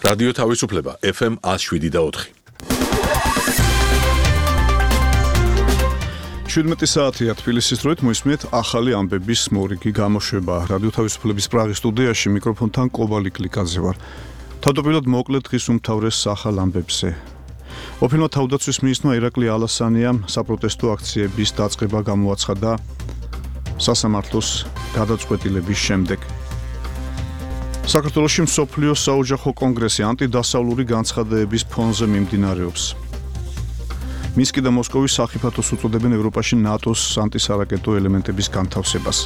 რადიო თავისუფლება FM 107.4. 17 საათია თბილისის დროით მოისმენთ ახალი ამბების მორიგი გამოშვება. რადიო თავისუფლების პრაღის სტუდიაში მიკროფონთან კობალი კლიკაძე ვარ. თავდაპირველად მოკლედ დღის უმთავრეს ახალ ამბებზე. ოფინო თავდაცვის მინისტრმა ირაკლი ალასანიამ საპროტესტო აქციების დაწყება გამოაცხადა სასამართლოს გადაწყვეტილების შემდეგ. საქართველოში მსოფლიოს საოჯახო კონგრესი ანტიდასავლური განცხადებების ფონზე მიმდინარეობს. მინსკი და მოსკოვის სახიფათოს უწოდებენ ევროპაში ნატოს ანტისარაკეტო ელემენტების განთავსებას.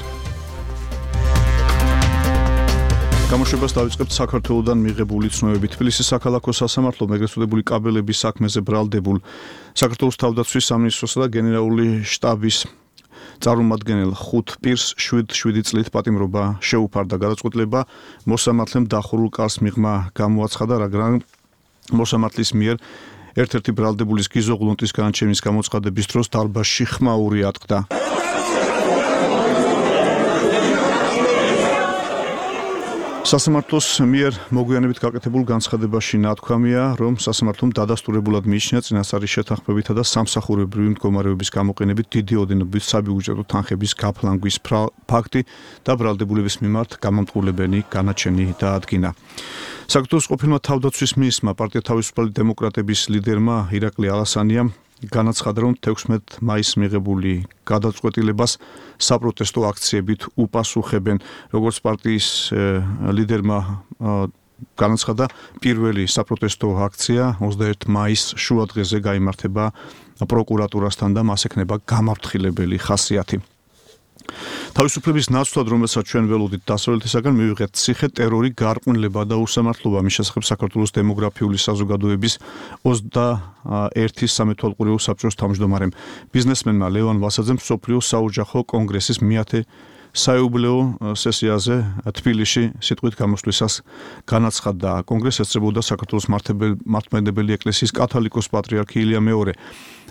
გამოშვებას დავიწყებთ საქართველოდან მიღებული ცნობები. თბილისის საქალაქო სასამართლომ ეგრეთ წოდებული კაბელების საქმეზე ბრალდებულ საქართველოს თავდაცვის სამინისტროსა და გენერალური შტაბის წარმომადგენელ 5 პირს 7 წლით პატიმრობა შეუფარდა. გადაწყვეტილება მოსამართლემ დახურულ კარს მიღმა გამოაცხადა, მაგრამ მოსამართლის მიერ ერთ-ერთი ბრალდებულის გიზო ღლონტის განაჩენის გამოცხადების დროს დარბაზში ხმაური ატყდა. სასამართლოს მიერ მოგვიანებით გაკეთებულ განცხადებაში ნათქვამია, რომ სასამართლომ დადასტურებულად მიიჩნია წინასწარი შეთანხმებითა და სამსახურებრივი მდგომარეობის გამოყენებით დიდი ოდენობით საბიუჯეტო თანხების გაფლანგვის ფაქტი და ბრალდებულების მიმართ გამამტყულებენი განაჩენი დაადგინა. საქართველოს ყოფილმა თავდაცვის მინისტრმა პარტია თავისუფალი დემოკრატების ლიდერმა ირაკლი ალასანიამ განაცხადა, რომ 16 მაისს მიღებული გადაწყვეტილებას საპროტესტო აქციებით უპასუხებენ. როგორც პარტიის ლიდერმა განაცხადა, პირველი საპროტესტო აქცია 21 მაისს შუადღეზე გაიმართება პროკურატურასთან და მას ექნება გამაფრთხილებელი ხასიათი. თავისუფლების ნაცვლად, რომელსაც ჩვენ ველოდით დასავლეთისაგან, მივიღეთ ციხე, ტერორი, გარყვნილება და უსამართლობა. მის შესახებ საქართველოს დემოგრაფიული საზოგადოების 21 სამეთვალყურეო საბჭოს თავმჯდომარემ ბიზნესმენმა ლევან ვასაძემ მსოფლიოს საოჯახო კონგრესის მეათე საიუბილეო სესიაზე თბილისში სიტყვით გამოსვლისას განაცხადა. კონგრესს ესწრებოდა საქართველოს მართლმადიდებელი ეკლესიის კათოლიკოს პატრიარქი ილია მეორე.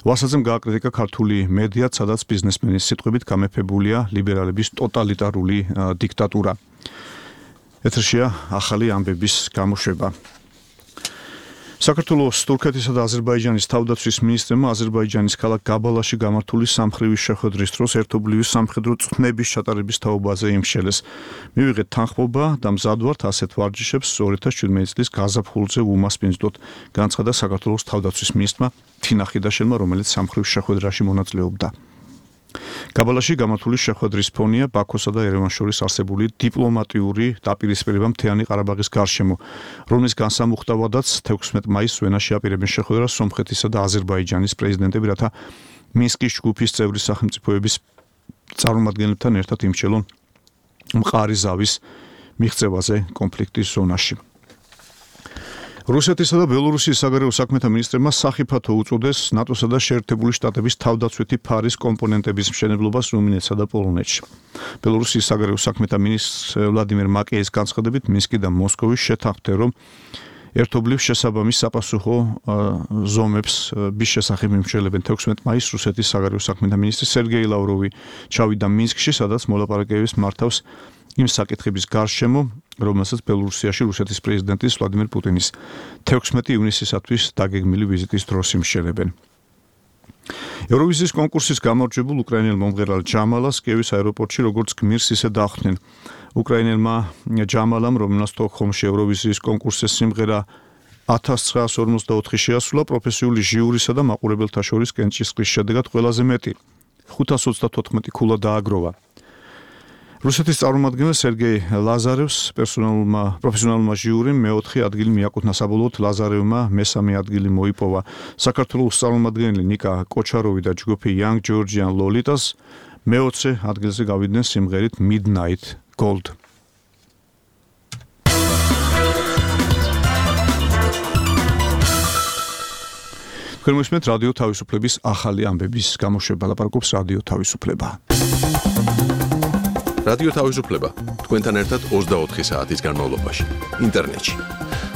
ვასაძემ გააკრიტიკა ქართული მედია, სადაც ბიზნესმენის სიტყვებით გამეფებულია ლიბერალების ტოტალიტარული დიქტატურა. ეთერშია ახალი ამბების გამოშვება. საქართველოს, თურქეთისა და აზერბაიჯანის თავდაცვის მინისტრმა აზერბაიჯანის ქალაქ გაბალაში გამართული სამხრივის შეხვედრის დროს ერთობლივი სამხედრო წვნების ჩატარების თაობაზე იმშელეს. მივიღეთ თანხმობა და მზად ვართ ასეთ ვარჯიშებს 2017 წლის გაზაფხულზე უმასპინძლოთ, განაცხადა საქართველოს თავდაცვის მინისტრმა თინა ხიდაშელმა, რომელიც სამხრივ შეხვედრაში მონაწილეობდა. გაბალაში გამართული შეხვედრის ფონია ბაქოსა და ერევანს შორის არსებული დიპლომატიური დაპირისპირება მთიანი ყარაბაღის გარშემო, რომლის განსამუხტავადაც 16 მაისს ვენაში აპირებენ შეხვედრას სომხეთისა და აზერბაიჯანის პრეზიდენტები, რათა მინსკის ჯგუფის წევრი სახელმწიფოების წარმომადგენლებთან ერთად იმჩელონ მყარი ზავის მიღწევაზე კონფლიქტის ზონაში. რუსეთისა და ბელორუსიის საგარეო საქმეთა მინისტრებმა სახიფათო უწოდეს ნატოსა და შეერთებული შტატების თავდაცვითი ფარის კომპონენტების მშენებლობას რუმინეთსა და პოლონეთში. ბელორუსიის საგარეო საქმეთა მინისტრ ვლადიმერ მაკეის განცხადებით, მინსკი და მოსკოვი შეთანხმდნენ, რომ ერთობლივ შესაბამის საპასუხო ზომებს bis შესახებ იმშელებენ. 16 მაისს რუსეთის საგარეო საქმეთა მინისტრი სერგეი ლავროვი ჩავიდა მინსკში, სადაც მოლაპარაკებებს მართავს იმ საკითხების გარშემო, რომელსაც ბელორუსიაში რუსეთის პრეზიდენტის ვლადიმერ პუტინის 16 ივნისისათვის დაგეგმილი ვიზიტის დროს იმშელებენ. ევროვიზიის კონკურსის გამარჯვებულ უკრაინელ მომღერალ ჯამალას კიევის აეროპორტში როგორც გმირს ისე დახვდნენ. უკრაინელმა ჯამალამ, რომელსაც სტოკჰოლმში ევროვიზიის კონკურსის სიმღერა 1944 შეასრულა, პროფესიული ჟიურისა და მაყურებელთა შორის კენჭისყრის შედეგად ყველაზე მეტი 534 ქულა დააგროვა. რუსეთის წარმომადგენელ სერგეი ლაზარევს პროფესიონალურმა ჟიურიმ მეოთხე ადგილი მიაკუთვნა, საბოლოოდ ლაზარევმა მესამე ადგილი მოიპოვა. საქართველოს წარმომადგენელი ნიკა კოჩაროვი და ჯგუფი Young Georgian Lolitas მეოცე ადგილზე გავიდნენ სიმღერით Midnight Gold. თქვენ მოსმენთ რადიო თავისუფლების ახალი ამბების გამოშვება. ლაპარაკობს რადიო თავისუფლება. რადიო თავისუფლება თქვენთან ერთად 24 საათის განმავლობაში ინტერნეტში.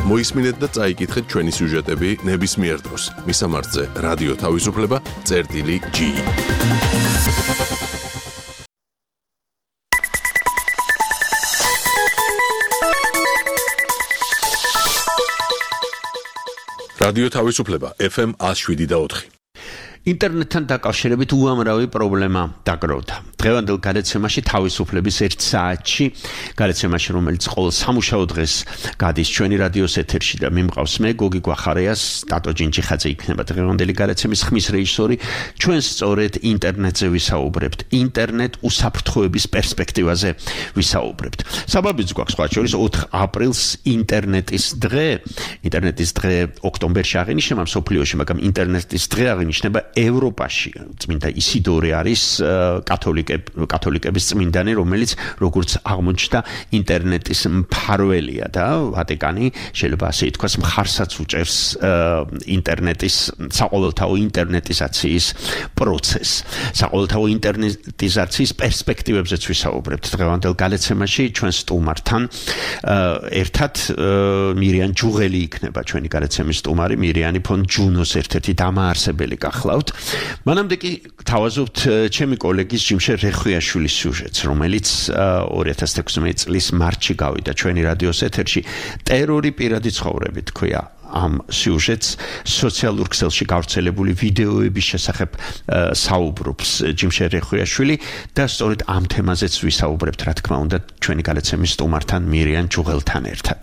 მოისმინეთ და წაიკითხეთ ჩვენი სიუჟეტები ნებისმიერ დროს. მისამართზე რადიო თავისუფლება.ge რადიო თავისუფლება FM 107.4. ინტერნეტთან დაკავშირებით უამრავი პრობლემა დაგროვდა. დღევანდელ გადაცემაში თავისუფლების 1 საათში, გადაცემაში რომელიც ყოველ სამუშაო დღეს გადის ჩვენი რადიოს ეთერში და მიმყავს მე გოგი გვახარიას, დატო ჯინჯიხაძე იქნება დღევანდელი გადაცემის ხმის რეჟისორი. ჩვენ სწორედ ინტერნეტზე ვისაუბრებთ, ინტერნეტ უსაფრთხოების პერსპექტივაზე ვისაუბრებთ. საბაბიც გვაქვს სხვა შორის 4 აპრილს ინტერნეტის დღე. ინტერნეტის დღე ოქტომბერში აღინიშნება მსოფლიოში, მაგრამ ინტერნეტის დღე აღინიშნება ევროპაში. წმინდა ისიდორე არის კათოლიკების წმინდანი, რომელიც როგორც აღმოჩნდა ინტერნეტის მფარველია და ვატიკანი შეიძლება ასე ითქვას მხარსაც უჭერს ინტერნეტის საყოველთაო ინტერნეტიზაციის პროცესს. საყოველთაო ინტერნეტიზაციის პერსპექტივებზეც ვისაუბრებთ დღევანდელ გადაცემაში ჩვენ სტუმართან ერთად მირიან ჯუღელი იქნება ჩვენი გადაცემის სტუმარი. მირიანი ფონ ჯუნოს ერთ-ერთი დამაარსებელი გახლავთ. მანამდე კი თავაზობთ ჩემი კოლეგის ჯიმშე რეხვიაშვილის სიუჟეტს, რომელიც 2016 წლის მარტში გავიდა ჩვენი რადიოს ეთერში. ტერორი პირადი ცხოვრებით ქვია ამ სიუჟეტს, სოციალურ ქსელში გავრცელებული ვიდეოების შესახებ საუბრობს ჯიმშე რეხვიაშვილი და სწორედ ამ თემაზეც ვისაუბრებთ, რა თქმა უნდა, ჩვენი გადაცემის სტუმართან მირიან ჯუღელთან ერთად.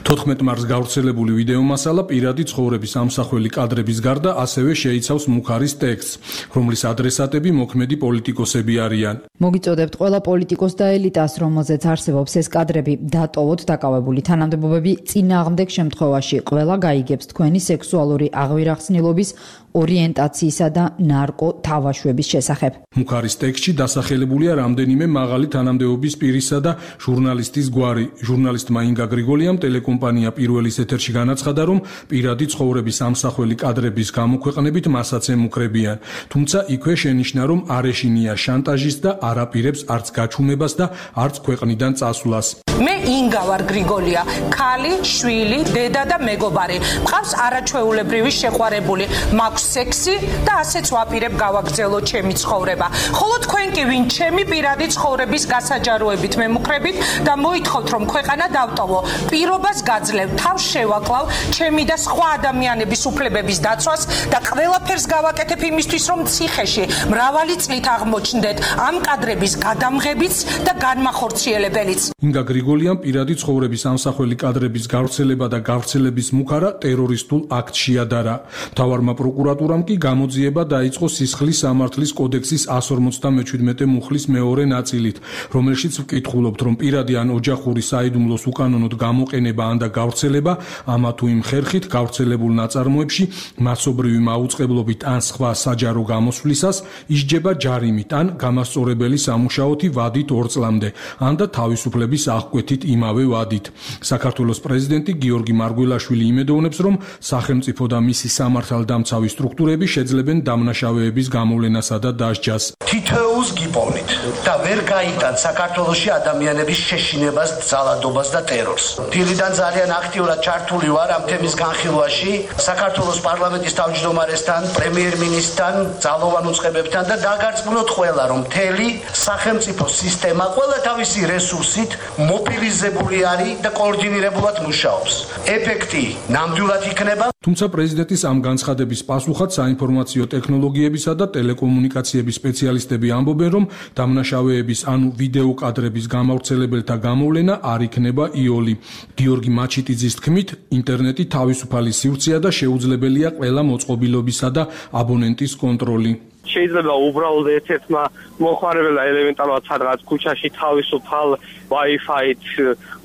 14 მარტს გავრცელებული ვიდეო მასალა პირადი ცხოვრების ამსახველი კადრების გარდა ასევე შეიცავს მუხარის ტექსტს, რომლის ადრესატები მოქმედი პოლიტიკოსები არიან. მოგიწოდებთ ყველა პოლიტიკოს და ელიტას, რომელზეც არსებობს ეს კადრები, დატოვოთ დაკავებული თანამდებობები, წინააღმდეგ შემთხვევაში ყველა გაიგებს თქვენი სექსუალური აღვირახსნილობის, ორიენტაციისა და ნარკო თავაშვების შესახებ. მუხარის ტექსტში დასახელებულია რამდენიმე მაღალი თანამდებობის პირისა და ჟურნალისტის გვარი. ჟურნალისტმა ინგა გრიგოლიამ ტელეკომპანია პირველის ეთერში განაცხადა, რომ პირადი ცხოვრების ამსახველი კადრების გამოქვეყნებით მასაც ემუქრებიან. თუმცა იქვე შენიშნა, რომ არ ეშინია შანტაჟის და არ აპირებს არც გაჩუმებას და არც ქვეყნიდან წასვლას. მე ინგა ვარ გრიგოლია, ქალი, შვილი, დედა და მეგობარი. მყავს არაჩვეულებრივი შეყვარებული, მაქვს სექსი და ასეც ვაპირებ გავაგრძელო ჩემი ცხოვრება. ხოლო თქვენ კი ვინ ჩემი პირადი ცხოვრების გასაჯაროებით მემუქრებით და მოითხოვთ, რომ ქვეყანა დავტოვო, პირობას გაძლევ, თავს შევაკლავ ჩემი და სხვა ადამიანების უფლებების დაცვას და ყველაფერს გავაკეთებ იმისთვის, რომ ციხეში მრავალი წლით აღმოჩნდეთ ამ კადრების გადამღებიც და განმახორციელებელიც. ინგა გრიგოლიამ პირადი ცხოვრების ამსახველი კადრების გავრცელება და გავრცელების მუხარა ტერორისტულ აქტს შეადარა. მთავარმა პროკურატურამ კი გამოძიება დაიწყო სისხლის სამართლის კოდექსის 157 მუხლის მეორე ნაწილით, რომელშიც ვკითხულობთ, რომ პირადი ან ოჯახური საიდუმლოს უკანონოდ გამოყენება ან და გავრცელება ამა თუ იმ ხერხით გავრცელებულ ნაწარმოებში მასობრივი მაუწყებლობით ან სხვა საჯარო გამოსვლისას ისჯება ჯარიმით ან გამასწორებელი სამუშაოთი ვადით 2 წლამდე, ან და თავისუფლების აღკვეთით იმავე ვადით. საქართველოს პრეზიდენტი გიორგი მარგველაშვილი იმედოვნებს, რომ სახელმწიფო და მისი სამართალდამცავი სტრუქტურები შეძლებენ დამნაშავეების გამოვლენასა და დასჯას. თითოეულს გიპოვნით და ვერ გაიტანთ საქართველოში ადამიანების შეშინებას, ძალადობას და ტერორს. დილიდან ძალიან აქტიურად ჩართული ვარ ამ თემის განხილვაში საქართველოს პარლამენტის თავმჯდომარესთან, პრემიერ-მინისტრთან, ძალოვან უწყებებთან და დაგარწმუნოთ ყველა, რომ მთელი სახელმწიფო სისტემა ყველა თავისი რესურსით მობილიზებული არის და კოორდინირებულად მუშაობს. ეფექტი ნამდვილად იქნება. თუმცა პრეზიდენტის ამ განცხადების პასუხად საინფორმაციო ტექნოლოგიებისა და ტელეკომუნიკაციების სპეციალისტები ამბობენ, რომ დამნაშავეების ანუ ვიდეო კადრების გამავრცელებელთა გამოვლენა არ იქნება იოლი. გიორგი მაჩიტიძის თქმით, ინტერნეტი თავისუფალი სივრცეა და შეუძლებელია ყველა მოწყობილობისა და აბონენტის კონტროლი. შეიძლება უბრალოდ ერთ-ერთმა მოხმარებელმა ელემენტარულად სადღაც ქუჩაში თავისუფალ Wi-Fi-ით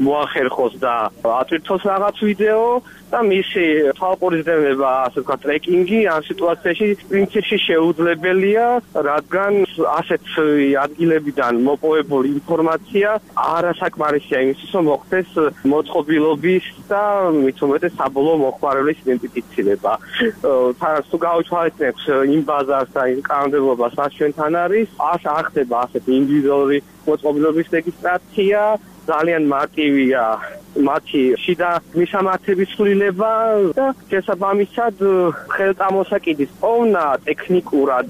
მოახერხოს და ატვირთოს რაღაც ვიდეო და მისი თვალყურისდევნება, ასე ვთქვათ, ტრეკინგი ამ სიტუაციაში პრინციპში შეუძლებელია, რადგან ასეთ ადგილებიდან მოპოვებული ინფორმაცია არასაკმარისია იმისთვის, რომ მოხდეს მოწყობილობის და მით უმეტეს საბოლოო მოხმარებლის იდენტიფიცირება. თუ გავუჩვენებთ იმ ბაზარს და იმ კანონმდებლობას, რაც ჩვენთან არის, არ ხდება ასეთი ინდივიდუალური მოწყობილობის რეგისტრაცია, ძალიან მარტივია მათი შიდა მისამართების ცვლილება და შესაბამისად ხელწამოსაკიდის პოვნა ტექნიკურად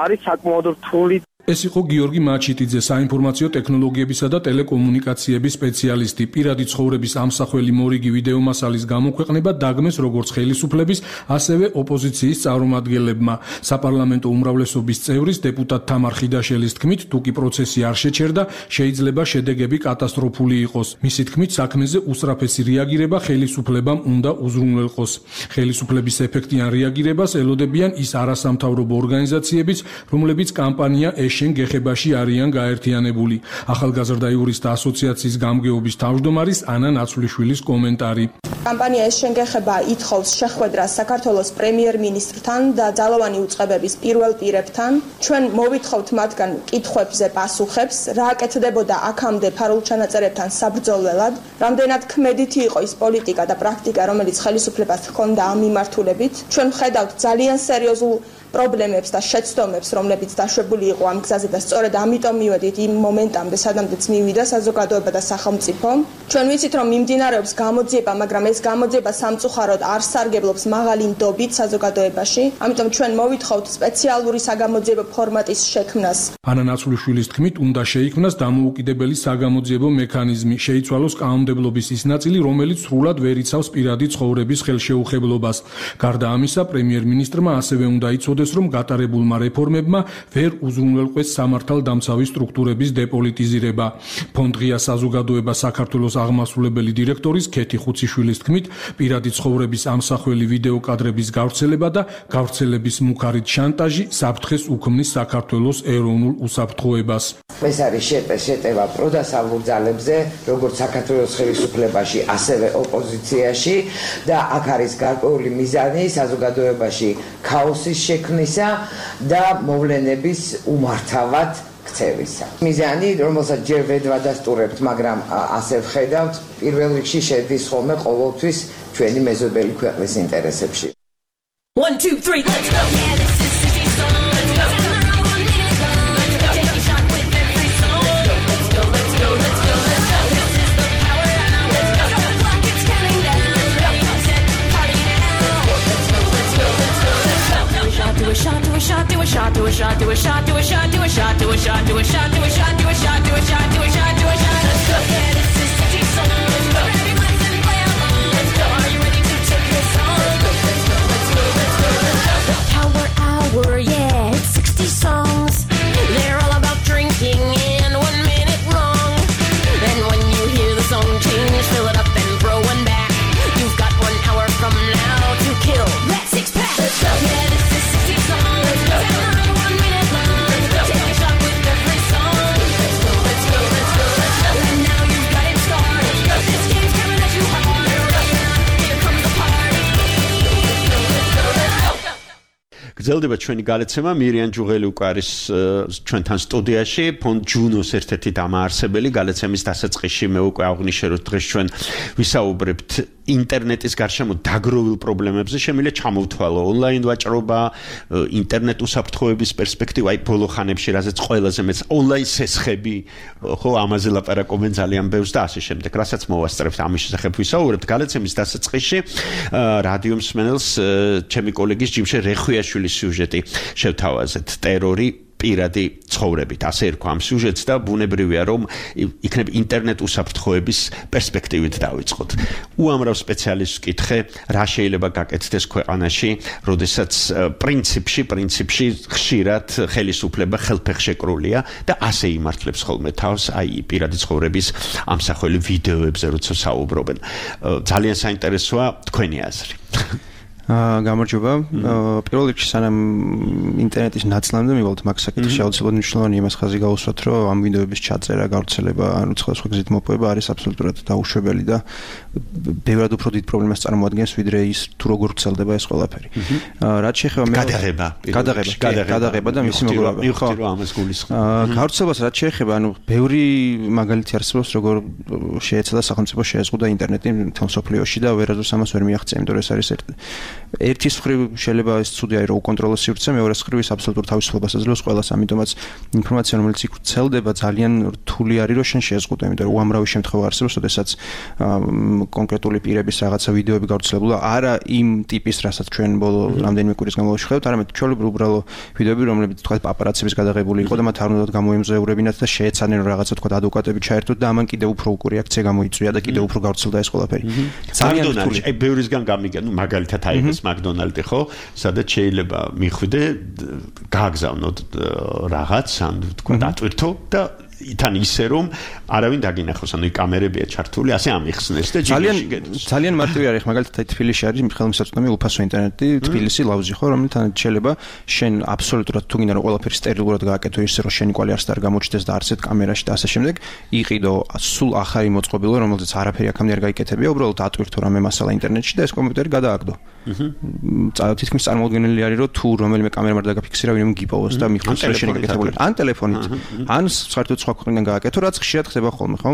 არის საკმაოდ რთული. ეს იყო გიორგი მაჩიტიძე, საინფორმაციო ტექნოლოგიებისა და ტელეკომუნიკაციების სპეციალისტი. პირადი ცხოვრების ამსახველი მორიგი ვიდეო მასალის გამოქვეყნება დაგმეს როგორც ხელისუფლების, ასევე ოპოზიციის წარმომადგენლებმა. საპარლამენტო უმრავლესობის წევრის დეპუტატ თამარ ხიდაშელის თქმით, თუკი პროცესი არ შეჩერდა, შეიძლება შედეგები კატასტროფული იყოს. მისი თქმით, საქმეზე უსწრაფესი რეაგირება ხელისუფლებამ უნდა უზრუნველყოს. ხელისუფლების ეფექტიან რეაგირებას ელოდებიან ის არასამთავრობო ორგანიზაციებიც, რომლებიც კამპანია შენ გეხებაში არიან გაერთიანებული. ახალგაზრდა იურისტთა ასოციაციის გამგეობის თავმჯდომარის ანა ნაცვლიშვილის კომენტარი. კამპანია შენ გეხება ითხოვს შეხვედრას საქართველოს პრემიერ-მინისტრთან და ძალოვანი უწყებების პირველ პირებთან. ჩვენ მოვითხოვთ მათგან კითხვებზე პასუხებს, რა აკეთდებოდა აქამდე ფარულ ჩანაწერებთან საბრძოლველად, რამდენად ქმედითი იყო ის პოლიტიკა და პრაქტიკა, რომელიც ხელისუფლებას ჰქონდა ამ მიმართულებით. ჩვენ ვხედავთ ძალიან სერიოზულ პრობლემებს და შეცდომებს, რომლებიც დაშვებული იყო ამ გზაზე და სწორედ ამიტომ მივედით იმ მომენტამდე, სადამდეც მივიდა საზოგადოება და სახელმწიფო. ჩვენ ვიცით, რომ მიმდინარეობს გამოძიება, მაგრამ ეს გამოძიება სამწუხაროდ არ სარგებლობს მაღალი ნდობით საზოგადოებაში. ამიტომ ჩვენ მოვითხოვთ სპეციალური საგამოძიებო ფორმატის შექმნას. ანა ნაცვლიშვილის თქმით, უნდა შეიქმნას დამოუკიდებელი საგამოძიებო მექანიზმი, შეიცვალოს კანონმდებლობის ის ნაწილი, რომელიც სრულად ვერ იცავს პირადი ცხოვრების ხელშეუხებლობას. გარდა ამისა, პრემიერ-მინისტრმა ასევე უნდა იცოდეს, რომ გატარებულმა რეფორმებმა ვერ უზრუნველყვეს სამართალდამცავი სტრუქტურების დეპოლიტიზირება. ფონდ ღია საზოგადოება საქართველოს აღმასრულებელი დირექტორის ქეთი ხუციშვილის თქმით, პირადი ცხოვრების ამსახველი ვიდეო კადრების გავრცელება და გავრცელების მუქარით შანტაჟი საფრთხეს უქმნის საქართველოს ეროვნულ უსაფრთხოებას. ეს არის შეტევა პროდასავლურ ძალებზე, როგორც საქართველოს ხელისუფლებაში, ასევე ოპოზიციაში და აქ არის გარკვეული მიზანი საზოგადოებაში ქაოსის შექმნისა და მოვლენების უმართავად ქცევისა. მიზანი, რომელსაც ჯერ ვერ ვადასტურებთ, მაგრამ ასე ვხედავთ, პირველ რიგში შედის ხოლმე ყოველთვის ჩვენი მეზობელი ქვეყნის ინტერესებში. 1 2 3 let's go. Yeah, this is City Song. Let's go. Take a shot with every song. Let's go, let's go, let's go, let's go. This is the power now. Let's go. The clock is counting down. Ready, set, party now. Let's go, let's go, let's go, let's go. Do a shot, do a shot, do a shot, do a shot, do a shot, do a shot, do a shot, do a shot, do a shot, do a shot, do a shot, do a shot, do a shot, do a shot, do a shot. Let's go. Yeah, this is City Song. Let's go. Everybody sing, play along. Let's go. Are you ready to take this on? Let's go, let's go, let's go, let's go. Power hour, yeah, it's 60 songs. They're all about drinking and 1 minute wrong. And when you hear the song change, fill it up and throw one back. You've got 1 hour from now to kill that 6-pack. Let's go. Yeah, this is 60 songs. Let's go. 1 minute long. Let's go. Take a shot with every song. Let's go, let's go, let's go, let's go. And now you've got it started. Let's go. This game's coming at you hard. Right now, here comes the party. Let's go, let's go, let's go. გრძელდება ჩვენი გალეცემა. მირიან ჯუღელი უკვე არის ჩვენთან სტუდიაში, ფონდ ჯუნოს ერთ-ერთი დამაარსებელი. გალეცემის დასაწყისში მე უკვე აღვნიშნე, რომ დღეს ჩვენ ვისაუბრებთ ინტერნეტის გარშემო დაგროვილ პრობლემებზე. შემიძლია ჩამოვთვალო ონლაინ ვაჭრობა, ინტერნეტ უსაფრთხოების პერსპექტივა, აი ბოლო ხანებში რაზეც ყველაზე მეც ონლაინ სესხები, ხო, ამაზე ლაპარაკობენ ძალიან ბევრს და ასე შემდეგ. რასაც მოვასწრებთ ამის შესახებ ვისაუბრებთ გალეცემის დასაწყისში. რადიო მსმენელს ჩემი კოლეგის ჯიმშე რეხვიაშვილის სიუჟეტი შევთავაზეთ. ტერორი პირადი ცხოვრებით, ასე ერქვა ამ სიუჟეტს და ბუნებრივია, რომ იქნებ ინტერნეტ უსაფრთხოების პერსპექტივით დავიწყოთ. უამრავ სპეციალისტს ვკითხე, რა შეიძლება გაკეთდეს ქვეყანაში, როდესაც პრინციპში ხშირად ხელისუფლება ხელფეხშეკრულია და ასე იმართლებს ხოლმე თავს აი პირადი ცხოვრების ამსახველი ვიდეოებზე, როცა საუბრობენ. ძალიან საინტერესოა თქვენი აზრი. გამარჯობა. პირველ რიგში სანამ ინტერნეტის ნაცვლამდე მივალთ მაგ საკითხში აუცილებლად მნიშვნელოვანია იმას ხაზი გაუსვათ, რომ ამ ვიდეოების ჩაწერა, გავრცელება, ანუ სხვადასხვა გზით მოპოვება არის აბსოლუტურად დაუშვებელი და ბევრად უფრო დიდ პრობლემას წარმოადგენს, ვიდრე ის თუ როგორ ვრცელდება ეს ყველაფერი. რაც შეეხება გადაღება და მისი მოგროვება. მივხვდი რომ ამას გულისხმობ. გავრცელებას რაც შეეხება, ანუ ბევრი მაგალითი არსებობს, როგორ შეეცადა სახელმწიფო შეეზღუდა ინტერნეტი მთელ მსოფლიოში და ვერასდროს ამას ვერ მიაღწია, იმიტომ რომ ეს არის ერთის მხრივ შეიძლება ეს ცუდი არის რომ უკონტროლო სივრცე, მეორეს მხრივ ის აბსოლუტურ თავისუფლებას აძლევს ყველას, ამიტომაც ინფორმაცია რომელიც იქ ვრცელდება ძალიან რთული არის რომ შენ შეზღუდო, იმიტომ რომ უამრავი შემთხვევა არსებობს, როდესაც კონკრეტული პირების რაღაცა ვიდეოები გავრცელებულა, არა იმ ტიპის, რასაც ჩვენ ბოლო რამდენიმე კვირის განმავლობაში ხედავთ, არამედ ჩვეულებრივ უბრალო ვიდეოები, რომლებიც თქვა პაპარაცების გადაღებული იყო და მათ არ უნდათ გამოემზეურებინათ და შეეცადნენ რომ რაღაცა თქვა ადვოკატები ჩაერთოთ და ამან კიდევ უფრო უკური რეაქცია გამოიწვია და კიდევ უფრო გავრცელდა ეს ყველაფერი. ძალიან რთული. აი ბევრისგან გამიგე, ნუ მაგალითად აი ეს მაკდონალდი ხო, სადაც შეიძლება მიხვიდე, გააგზავნოთ რაღაც, ან თქვა დატვირთო და თან ისე რომ არავინ დაგინახოს, ანუ კამერებია ჩართული, ასე ამიხსნეს და ძალიან მარტივი არის, მაგალითად თბილისში არის ხელმისაწვდომი უფასო ინტერნეტი, თბილისი ლავზი ხო, რომელთან შეიძლება შენ აბსოლუტურად თუ გინდა რომ ყველაფერი სტერილურად გააკეთო ისე რომ შენი კვალი არც არ გამოჩნდეს და არცეთ კამერაში და ასე შემდეგ, იყიდო სულ ახალი მოწყობილო, რომელზეც არაფერი აქამდე არ გაიკეთებია, უბრალოდ ატვირთო რამე მასალა ინტერნეტში და ეს კომპიუტერი გადააგდო. თითქმის წარმოუდგენელი არის რომ თუ რომელიმე კამერამ არ დაგაფიქსირა, ვინმე გიპოვოს და მიხვდეს რომ შენი გაკეთებული ან ტელეფონით, ან საერთოდ სხვა ქვეყნიდან გააკეთო, რაც ხშირად ხდება ხოლმე, ხო?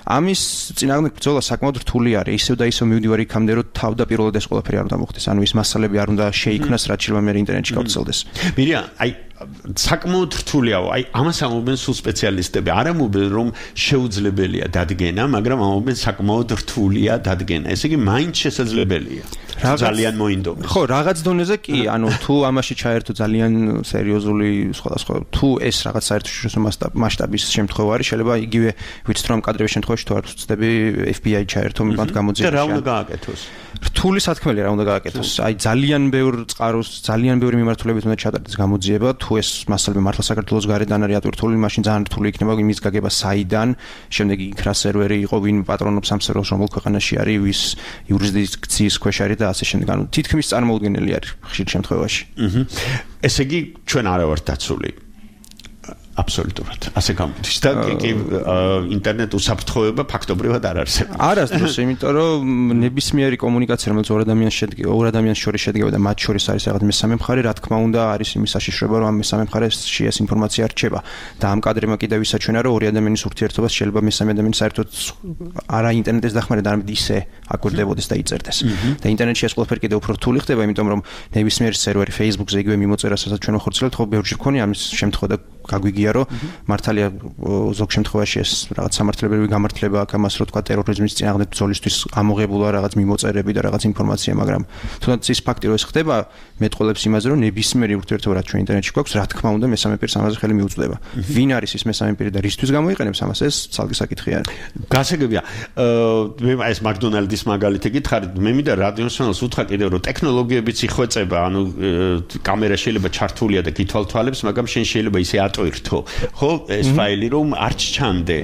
ამის წინააღმდეგ ბრძოლა საკმაოდ რთული არის. ისევ და ისევ მივდივარ იქამდე, რომ თავდაპირველად ეს ყველაფერი არ უნდა მოხდეს. ანუ ის მასალები არ უნდა შეიქმნას, რაც შეიძლება მე ინტერნეტში გავრცელდეს. მირია, აი საკმაოდ რთულიაო. აი ამას ამობენ სულ სპეციალისტები. არ ამობენ რომ შეუძლებელია დადგენა, მაგრამ ამობენ საკმაოდ რთულია დადგენა. ესე იგი მაინც შესაძლებელია. ძალიან მოინდომეს. ხო, რაღაც დონეზე კი, ანუ თუ ამაში ჩაერთო ძალიან სერიოზული სხვადასხვა თუ ეს რაღაც საერთაშორისო მასშტაბის შემთხვევა არის, შეიძლება იგივე ვიცით რომ კადრების შემთხვევაში თუ არ ვწდები FBI ჩაერთო მათ გამოძიებაში. და რა უნდა გააკეთოს? რთული სათქმელია რა უნდა გააკეთოს. აი ძალიან ბევრ წყაროს, ძალიან ბევრი მიმართულებით უნდა ჩატარდეს გამოძიება, თუ ეს მასალები მართლა საქართველოს გარედან არის ატვირთული, მაშინ ძალიან რთული იქნება იმის გაგება საიდან, შემდეგ იქ რა სერვერი იყო, ვინ პატრონობს ამ სერვერს, რომელ ქვეყანაში არის, ვის იურისდიქციის ქვეშ არის და ასე შემდეგ. ანუ თითქმის წარმოუდგენელი არის ხშირ შემთხვევაში. ესე იგი ჩვენ არა ვართ დაცული. აბსოლუტურად. ასე გამოდის და ინტერნეტ უსაფრთხოება ფაქტობრივად არ არსებობს. არასდროს, იმიტომ რომ ნებისმიერი კომუნიკაცია, რომელიც ორ ადამიანს შორის შედგება და მათ შორის არის რაღაც მესამე მხარე, რა თქმა უნდა, არის იმის საშიშროება, რომ ამ მესამე მხარეში ეს ინფორმაცია რჩება. და ამ კადრმა კიდევ ისაჩვენა, რომ ორი ადამიანის ურთიერთობას შეიძლება მესამე ადამიანი საერთოდ არა ინტერნეტის დახმარებით, არამედ ისე აკვირდებოდეს და იწერდეს. და ინტერნეტში ეს ყველაფერი კიდევ უფრო რთული ხდება, იმიტომ რომ ნებისმიერი სერვერი Facebook-ზე იგივე მიმოწერა, სადაც ჩვენ ვახორციელებთ, ხო ბევრჯერ გქონია ამის შემთხვევა და გაგვიგია რომ მართალია ზოგ შემთხვევაში ეს რაღაც სამართლებრივი გამართლება აქვს ამას რომ თქვა ტერორიზმის წინააღმდეგ ბრძოლისთვის ამოღებულა რაღაც მიმოწერები და რაღაც ინფორმაცია, მაგრამ თუნდაც ის ფაქტი რომ ეს ხდება მეტყოლებს იმაზე რომ ნებისმიერი ურთიერთობა რაც ჩვენ ინტერნეტში გვაქვს, რა თქმა უნდა მესამე პირს ამაზე ხელი მიუწვდება. ვინ არის ის მესამე პირი და რისთვის გამოიყენებს ამას, ეს ცალკე საკითხი არის. გასაგებია. მე ეს მაკდონალდის მაგალითი გითხარით, მე მინდა რადიოსმენელს უთხრა კიდევ რომ ტექნოლოგიებიც იხვეწება, ანუ კამერა შეიძლება ჩართულია და გითვალთვალებს, მაგრამ შენ შეიძლება ისე ატვირთო, ხო, ეს ფაილი რომ არ ჩჩამდე.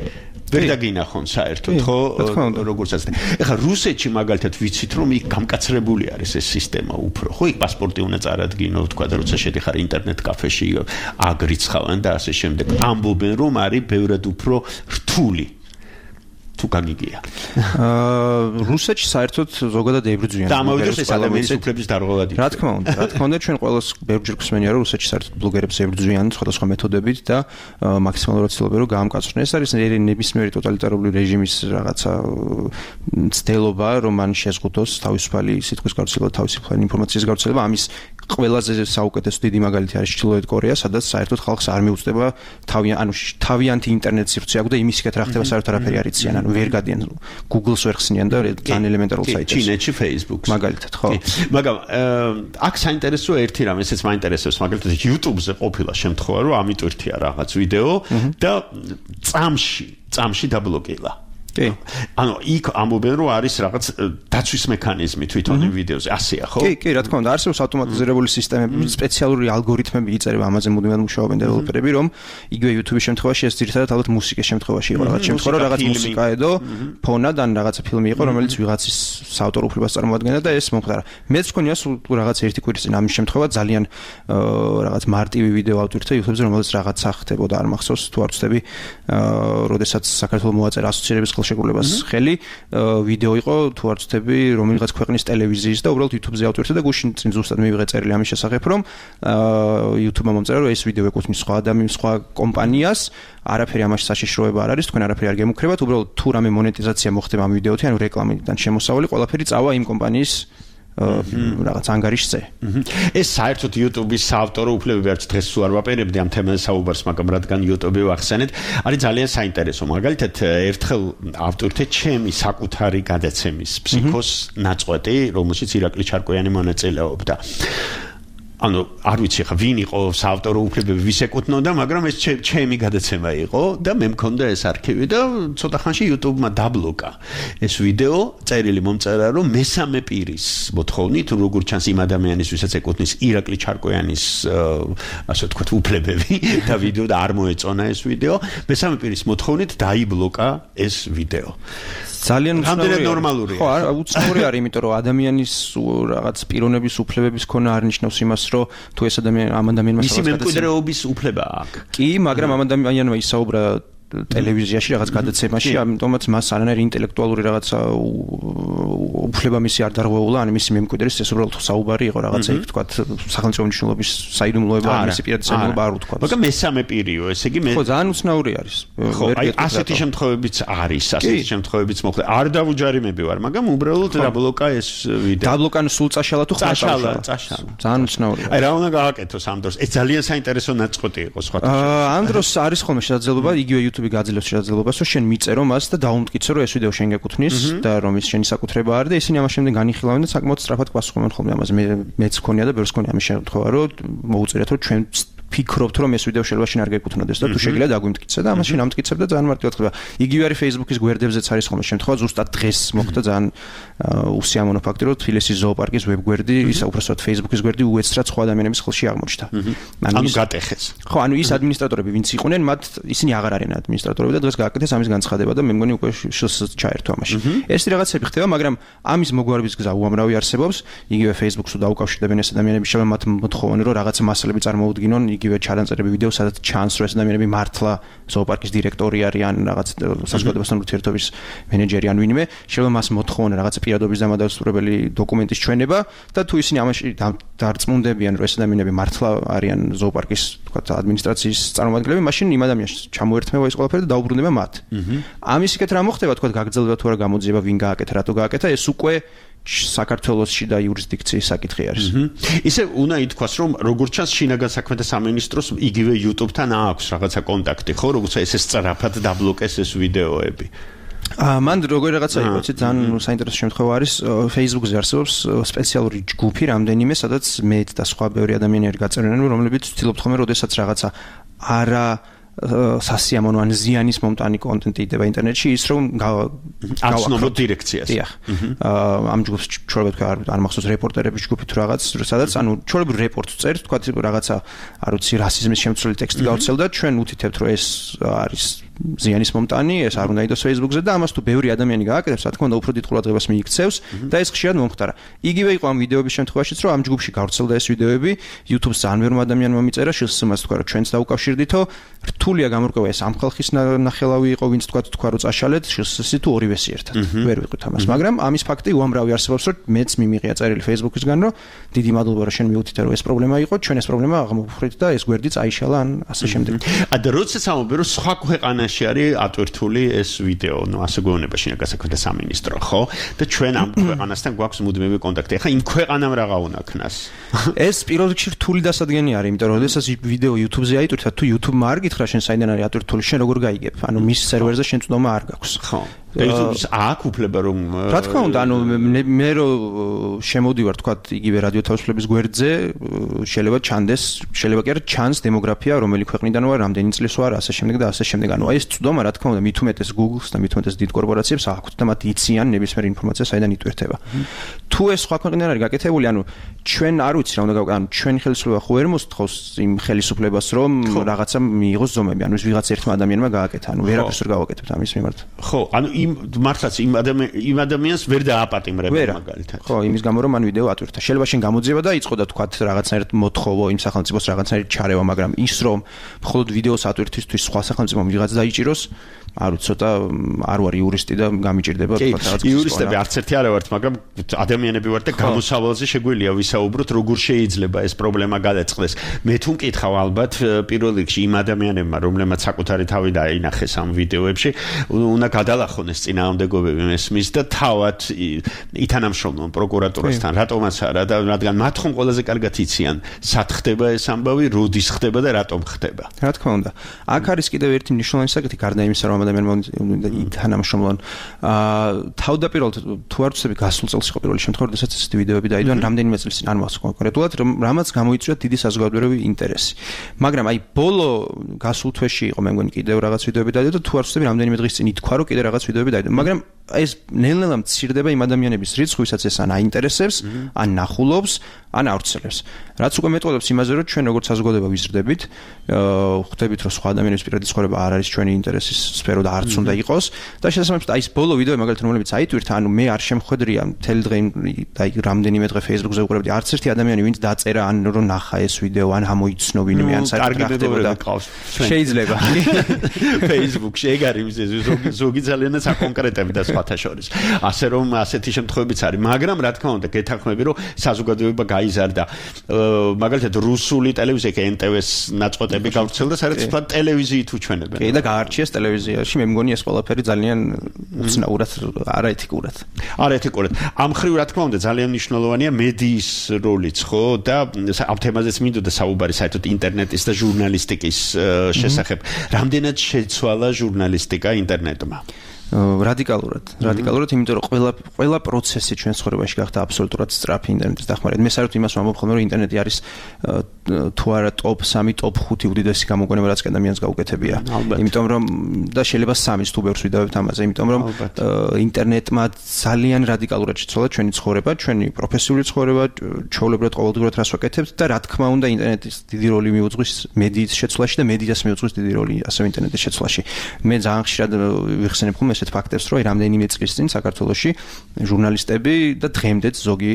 ვერ დაგინახონ საერთოდ, ხო, როგორც ასე. ეხლა რუსეთში მაგალითად ვიცით რომ იქ გამკაცრებული არის ეს სისტემა უფრო, ხო, იქ პასპორტი უნდა წარადგინო, თქვა და როცა შედიხარ ინტერნეტ კაფეში, აგრიცხავენ და ასე შემდეგ. ამბობენ რომ არის ბევრად უფრო რთული. თუ გაგიგია. რუსეთში საერთოდ ზოგადად ებრძვიან. და ამავდროულად ეს ადამიანის უფლების დარღვევად. რა თქმა უნდა, ჩვენ ყველას ბევრჯერ გვსმენია რომ რუსეთში საერთოდ ბლოგერებს ებრძვიან სხვადასხვა მეთოდებით და მაქსიმალურად ცდილობენ რომ გაამკაცრონ. ეს არის ნებისმიერი ტოტალიტარული რეჟიმის რაღაცა ცდელობა, რომ მან შეზღუდოს თავისუფალი სიტყვის გავრცელება, თავისუფალი ინფორმაციის გავრცელება. ამის ყველაზე საუკეთესო დიდი მაგალითი არის ჩრდილოეთ კორეა, სადაც საერთოდ ხალხს არ მიუწვდება თავიანთი ინტერნეტ სივრცე აქვს და იმისკეთ რა ხდება საერთოდ არაფერი არ იციან. ანუ ვერ გადიან Google-ს ვერ ხსნიან და ძალიან ელემენტარულ საიტებს. ჩინეთში Facebook-ს. მაგალითად, ხო. მაგრამ აქ საინტერესოა ერთი რამ, ესეც მაინტერესებს, მაგალითად YouTube-ზე ყოფილა შემთხვევა, რომ ამიტვირთია რაღაც ვიდეო და წამში დაბლოკილა. ანუ იქ ამბობენ რომ არის რაღაც დაცვის მექანიზმი თვითონ იმ ვიდეოზე, ასეა, ხო? კი, რა თქმა უნდა, არსებობს ავტომატიზირებული სისტემები, სპეციალური ალგორითმები იწერება, ამაზე მუდმივად მუშაობენ დეველოპერები, რომ იგივე YouTube-ის შემთხვევაში ეს ძირითადად ალბათ მუსიკის შემთხვევაში იყო, რაღაც შემთხვევა, რომ რაღაც მუსიკა ედო, ფონად ან რაღაცა ფილმი იყო, რომელიც ვიღაცის საავტორო უფლებას წარმოადგენდა და ეს მომხდარა. მეც მქონია სულ რაღაც ერთი კვირის წინ ამის შემთხვევა, ძალიან რაღაც მარტივი ვიდეო ავტვირთე YouTube-ზე, რომელიც რაღაცა ხდებოდა, არ მახსოვს, თუ არ ვწდები, როდესაც საქართველოს მოაწერა ასოცირების შეგულებას ხელი ვიდეო იყო თუ არ ვწდები რომელიღაც ქვეყნის ტელევიზიის და უბრალოდ YouTube-ზე ავტვირთე და გუშინ წინ ზუსტად მივიღე წერილი ამის შესახებ რომ YouTube-მა მომწერა რომ ეს ვიდეო ეკუთვნის სხვა კომპანიას, არაფერი ამაში საშიშროება არ არის, თქვენ არაფერი არ გემუქრებათ, უბრალოდ თუ რამე მონეტიზაცია მოხდება ამ ვიდეოთი, ანუ რეკლამიდან შემოსავალი, ყველაფერი წავა იმ კომპანიის რაღაც ანგარიშზე. ეს საერთოდ YouTube-ის საავტორო უფლებები არც დღეს სულ არ ვაპირებდი ამ თემაზე საუბარს, მაგრამ რადგან YouTube-ი ვახსენეთ, არის ძალიან საინტერესო. მაგალითად, ერთხელ ავტორთა ჩემი საკუთარი გადაცემის ფსიქოს ნაწყვეტი, რომელშიც ირაკლი ჩარკვიანი მონაწილეობდა. ანუ არ ვიცი ხა ვინ იყო საავტორო უფლებები ვის ეკუთვნოდა, მაგრამ ეს ჩემი გადაცემა იყო და მე მქონდა ეს არქივი და ცოტა ხანში YouTube-მა დაბლოკა ეს ვიდეო, წერილი მომწერა რომ მესამე პირის მოთხოვნით, როგორ ჩანს იმ ადამიანის, ვისაც ეკუთვნის ირაკლი ჩარკვიანის ასე ვთქვათ უფლებები და ვიდეო და არ მოეწონა ეს ვიდეო, მესამე პირის მოთხოვნით დაიბლოკა ეს ვიდეო. ძალიან ნორმალურია. ხო, უცნაური არის, იმიტომ რომ ადამიანის რაღაც პიროვნების უფლებების ქონა არ ნიშნავს იმას, რომ თუ ეს ამ ადამიანმა მისი მემკვიდრეობის უფლება აქვს. კი, მაგრამ ამ ადამიანმა ისაუბრა ტელევიზიაში რაღაც გადაცემაში, ამიტომაც მას არანაირი ინტელექტუალური რაღაცა უფლება მისი არ დარღვეულა, ან მისი მემკვიდრის ეს უბრალოდ საუბარი იყო რაღაცა, იქ თქვათ სახელმწიფო მნიშვნელობის საიდუმლოება, ან მისი პირადი საიდუმლოება არ უთქვა. მაგრამ მესამე პირიო, ესე იგი ხო, ძალიან უცნაური არის. ხო, აი ასეთი შემთხვევებიც არის, ასეთი შემთხვევებიც მოხდა. არ დავუჯარიმები ვარ, მაგრამ უბრალოდ დაბლოკა ეს ვიდეო. დაბლოკა სულ წაშალა თუ წაშალა. ძალიან უცნაური. აი რა უნდა გააკეთოს ამ დროს? ეს ძალიან საინტერესო ნაწყვეტი იყო სხვა. ამ დროს არის ხოლმე შესაძლებლობა, იგივე YouTube-ი გაძლევს შესაძლებლობას, რომ შენ მიწერო მას და დაუმტკიცო, რომ ეს ვიდეო შენ გეკუთვნის და რომ ის შენი საკუთრება არის და ისინი ამას შემდეგ განიხილავენ და საკმაოდ სწრაფად პასუხობენ ხოლმე ამაზე. მეც მქონია და ბევრს მქონია ამის შემთხვევა, რომ მოუწერიათ, რომ ჩვენ ფიქრობთ, რომ ეს ვიდეო შეიძლება შენ არ გეკუთვნოდეს და თუ შეგიძლია დაგვიმტკიცე და ამას შენ ამტკიცებ და ძალიან მარტივად ხდება. იგივე არის Facebook-ის გვერდებზეც არის ხოლმე შემთხვევა, ზუსტად დღეს მოხდა ძალიან უსიამოვნო ფაქტი, რომ თბილისის ზოოპარკის ვებგვერდი, ისა უბრალოდ Facebook-ის გვერდი უეცრად სხვა ადამიანების ხელში აღმოჩნდა. ანუ გატეხეს. ხო, ანუ ის ადმინისტრატორები, ვინც იყვნენ, მათ ისინი აღარ არიან ადმინისტრატორები და დღეს გააკეთეს ამის განცხადება და მე მგონი უკვე ჩაერთო ამაში. ეს რაღაცები ხდება, მაგრამ ამის მოგვარების გზა უამრავი არსებობს. იგივე Facebook-ს დაუკავშირდებენ ეს ადამიანები, შეიძლება მათ მოთხოვონ, რომ რაღაცა მასალები წარმოუდგინონ, იგივე ჩანაწერები ვიდეო, სადაც ჩანს, რომ ეს ადამიანები მართლა ზოოპარკის დირექტორი არიან, რაღაც საზოგადოებასთან ურთიერთობის მენეჯერი ან ვინმე, შეიძლება მას მოთხოვონ რაღაცა პირადობის დამადასტურებელი დოკუმენტის ჩვენება და თუ ისინი ამაში დარწმუნდებიან, რომ ეს ადამიანები მართლა არიან ზოოპარკის, თქვათ, ადმინისტრაციის წარმომადგენლები, მაშინ იმ ადამიანს ჩამოერთმევა ეს ყველაფერი და დაუბრუნდება მათ. ამის იქეთ რა მოხდება, თქვათ, გაგრძელდება თუ არა გამოძიება, ვინ გააკეთა, რატო გააკეთა, ეს უკვე საქართველოსში და იურისდიქციის საკითხი არის. ისე უნდა ითქვას, რომ როგორც ჩანს შინაგან საქმეთა სამინისტროს იგივე YouTube-თან აქვს რაღაცა კონტაქტი, ხო, როცა ესე სწრაფად დაბლოკეს ეს ვიდეოები. მან როგორი რაღაცა იყო, ძალიან საინტერესო შემთხვევა არის, Facebook-ზე არსებობს სპეციალური ჯგუფი რამდენიმე, სადაც მე და სხვა ბევრი ადამიანი არის გაწერილი, რომლებიც ვცდილობთ ხოლმე, როდესაც რაღაცა არა სასიამოვნო ან ზიანის მომტანი კონტენტი იდება ინტერნეტში, ის რომ აცნობოთ დირექციას. დიახ. ამ ჯგუფს ჩვეულებრივ არ მახსოვს რეპორტერების ჯგუფი თუ რაღაც, სადაც ანუ ჩვეულებრივ რეპორტს წერთ, თქვა რაღაცა არ ვიცი რასიზმის შემცვლელი ტექსტი გავცელდა, ჩვენ უთითებთ, რომ ეს არის ზიანის მომტანი, ეს არ უნდა იყოს Facebook-ზე და ამას თუ ბევრი ადამიანი გააკეთებს, რა თქმა უნდა, უფრო დიდ ყურადღებას მიიქცევს და ეს ხშირად მომხდარა. იგივე იყო ამ ვიდეოების შემთხვევაშიც, რომ ამ ჯგუფში გავრცელდა ეს ვიდეოები, YouTube-ს ძალიან ბევრმა ადამიანმა მიწერა, შესაძლოა თქვა, რომ ჩვენც დაუკავშირდითო, რთულია გამორკვევა ეს ამ ხალხის ნახელავი იყო, ვინც თქვა, რომ წაშალეთ, შესაძლოა თუ ორივესი ერთად. ვერ ვიყოთ ამას, მაგრამ ამის ფაქტი უამრავი არსებობს, რომ მეც მიმიღია წერილი Facebook-ისგან, რომ დიდი მადლობა, რომ შენ მიუთითე, რომ ეს პრობლემა იყო, ჩვენ ეს პრობლემა აღმოფხვრით და ეს გვერდი წაიშალა ან ასე შემდეგ. და როდესაც ამბობ, რომ სხვა ქვეყანაში არის ატვირთული ეს ვიდეო, ნუ ასე გვეუბნება შინაგან საქმეთა სამინისტრო, ხო? და ჩვენ ამ ქვეყანასთან გვაქვს მუდმივი კონტაქტი. ახლა იმ ქვეყანამ რაღა უნდა ქნას? ეს პირველ რიგში რთული დასადგენია არის, იმიტომ რომ როდესაც ვიდეო YouTube-ზე აიტვირთა, თუ YouTube-მა არ გითხრა შენ საიდან არის ატვირთული, შენ როგორ გაიგებ? ანუ მის სერვერზე შენ წვდომა არ გაქვს. ხო. YouTube-ს აქვს უფლება რომ რა თქმა უნდა, ანუ მე რო შემოვდივარ, თქვა, იგივე რადიო თავისუფლების გვერდზე, შეიძლება ჩანდეს, შეიძლება კი არა ჩანს დემოგრაფია, რომელი ქვეყნიდან ვარ, რამდენი წლის ვარ, ასე შემდეგ და ასე შემდეგ. ანუ აი ეს წვდომა, რა თქმა უნდა, მით უმეტეს Google-ს და მით უმეტეს დიდ კორპორაციებს აქვთ და მათ იციან ნებისმიერ ინფორმაციას, საიდან იტვირთება. თუ ეს სხვა ქვეყნიდან არის გაკეთებული, ანუ ჩვენ არ ვიცი რა უნდა გავაკეთოთ, ანუ ჩვენი ხელისუფლება ხო ვერ მოსთხოვს იმ ხელისუფლებას, რომ რაღაცა მიიღოს ზომები, ანუ ის ვიღაც ერთმა ადამიანმა გააკეთა, ანუ ვერაფერს ვერ გავაკეთებთ ამის მიმართ. ხო, ანუ მართლაც იმ ადამიანს ვერ დააპატიმრებენ მაგალითად. ხო, იმის გამო რომ მან ვიდეო ატვირთა. შეიძლება შენ გამოძიება და იწყო და თქვათ რაღაცნაირად მოთხოვო იმ სახელმწიფოს რაღაცნაირად ჩარევა, მაგრამ ის რომ მხოლოდ ვიდეოს ატვირთვისთვის სხვა სახელმწიფომ ვიღაც დაიჭიროს, არ ვიცი ცოტა არ ვარ იურისტი და გამიჭირდება თქვა რაღაც იურისტები არც ერთი არ ვართ, მაგრამ ადამიანები ვართ და გამოსავალზე შეგვიძლია ვისაუბროთ, როგორ შეიძლება ეს პრობლემა გადაწყდეს. მე თუ მკითხავ ალბათ პირველ რიგში იმ ადამიანებმა, რომლებმაც საკუთარი თავი დაინახეს ამ ვიდეოებში, უნდა გადალახონეს წინააღმდეგობები მესმის და თავად ითანამშრომლონ პროკურატურასთან, რატომაც არა და რადგან მათ ხომ ყველაზე კარგად იციან, სად ხდება ეს ამბავი, როდის ხდება და რატომ ხდება. რა თქმა უნდა. აქ არის კიდევ ერთი მნიშვნელოვანი საკითხი, გარდა იმისა, რომ ადამიანმა ითანამშრომლონ. თავდაპირველად თუ არ ვცდები, გასულ წელს იყო პირველი შემთხვევა, როდესაც ესეთი ვიდეოები დაიდო, რამდენიმე წელს წინ არ მახსოვს კონკრეტულად, რამაც გამოიწვია დიდი საზოგადოებრივი ინტერესი. მაგრამ აი ბოლო გასულ თვეში იყო მე მგონი კიდევ რაღაც ვიდეოები დაიდო და თუ არ ვცდები, რამდენიმე დღის წინ ითქვა, რომ კიდევ რაღაც ვიდეოები დაიდო. მაგრამ ეს ნელ-ნელა მცირდება იმ ადამიანების რიცხვი, ვისაც ეს ან აინტერესებს, ან ნახულობს, ან ავრცელებს. რაც უკვე მეტყველებს იმაზე, რომ ჩვენ როგორც საზოგადოება ვიზრდებით, ხვდებით, რომ სხვა ადამიანების პირადი ცხოვრება არ არის ჩვენი ინტერესის სფერო და არც უნდა იყოს და შესაბამისად აი ეს ბოლო ვიდეო მაგალითად რომლებიც აიტვირთა, ანუ მე არ შემხვედრია მთელი დღე და აი რამდენიმე დღე Facebook-ზე უყურებდი, არც ერთი ადამიანი ვინც დაწერა ან რომ ნახა ეს ვიდეო, ან ამოიცნო ვინმე, ან საერთოდ რა ხდებოდა. შეიძლება. Facebook-ში ეგ არის ზოგი ძალიანაც აკონკრეტებდა სხვათა შორის. ასე რომ ასეთი შემთხვევებიც არის, მაგრამ რა თქმა უნდა, გეთანხმები, რომ საზოგადოება გაიზარდა. მაგალითად რუსული ტელევიზია კი NTV-ს ნაწყვეტები გავრცელდა, სადაც თქვა ტელევიზიით უჩვენებენ. კი და გაარჩიეს ტელევიზიაში, მე მგონი ეს ყველაფერი ძალიან უცნაურად, არაეთიკურად. არაეთიკურად. ამ ხრივ რა თქმა უნდა ძალიან მნიშვნელოვანია მედიის როლიც, ხო? და ამ თემაზეც მინდოდა საუბარი საერთოდ ინტერნეტის და ჟურნალისტიკის შესახებ. რამდენად შეცვალა ჟურნალისტიკა ინტერნეტმა? რადიკალურად, იმიტომ რომ ყველა პროცესი ჩვენ ცხოვრებაში გახდა აბსოლუტურად სწრაფი ინტერნეტის დახმარებით. მე საერთოდ იმას ვამბობ ხოლმე, რომ ინტერნეტი არის თუ არა top 3, top 5 უდიდესი გამოგონება, რაც ადამიანს გაუკეთებია. იმიტომ რომ და შეიძლება 3-ს თუ ბევრს ვიდავებთ ამაზე, იმიტომ რომ ინტერნეტმა ძალიან რადიკალურად შეცვალა ჩვენი ცხოვრება, ჩვენი პროფესიული ცხოვრება, ჩვეულებრივად ყოველდღურად რას ვაკეთებთ და რა თქმა უნდა ინტერნეტის დიდი როლი მიუძღვის მედიის შეცვლაში და მედიას მიუძღვის დიდი როლი ასევე ინტერნეტის შეცვლაში. მე ძალიან ხშირად ვიხსენებ ხოლმე ესეთ ფაქტებს, რომ რამდენიმე წლის წინ საქართველოში ჟურნალისტები და დღემდეც ზოგი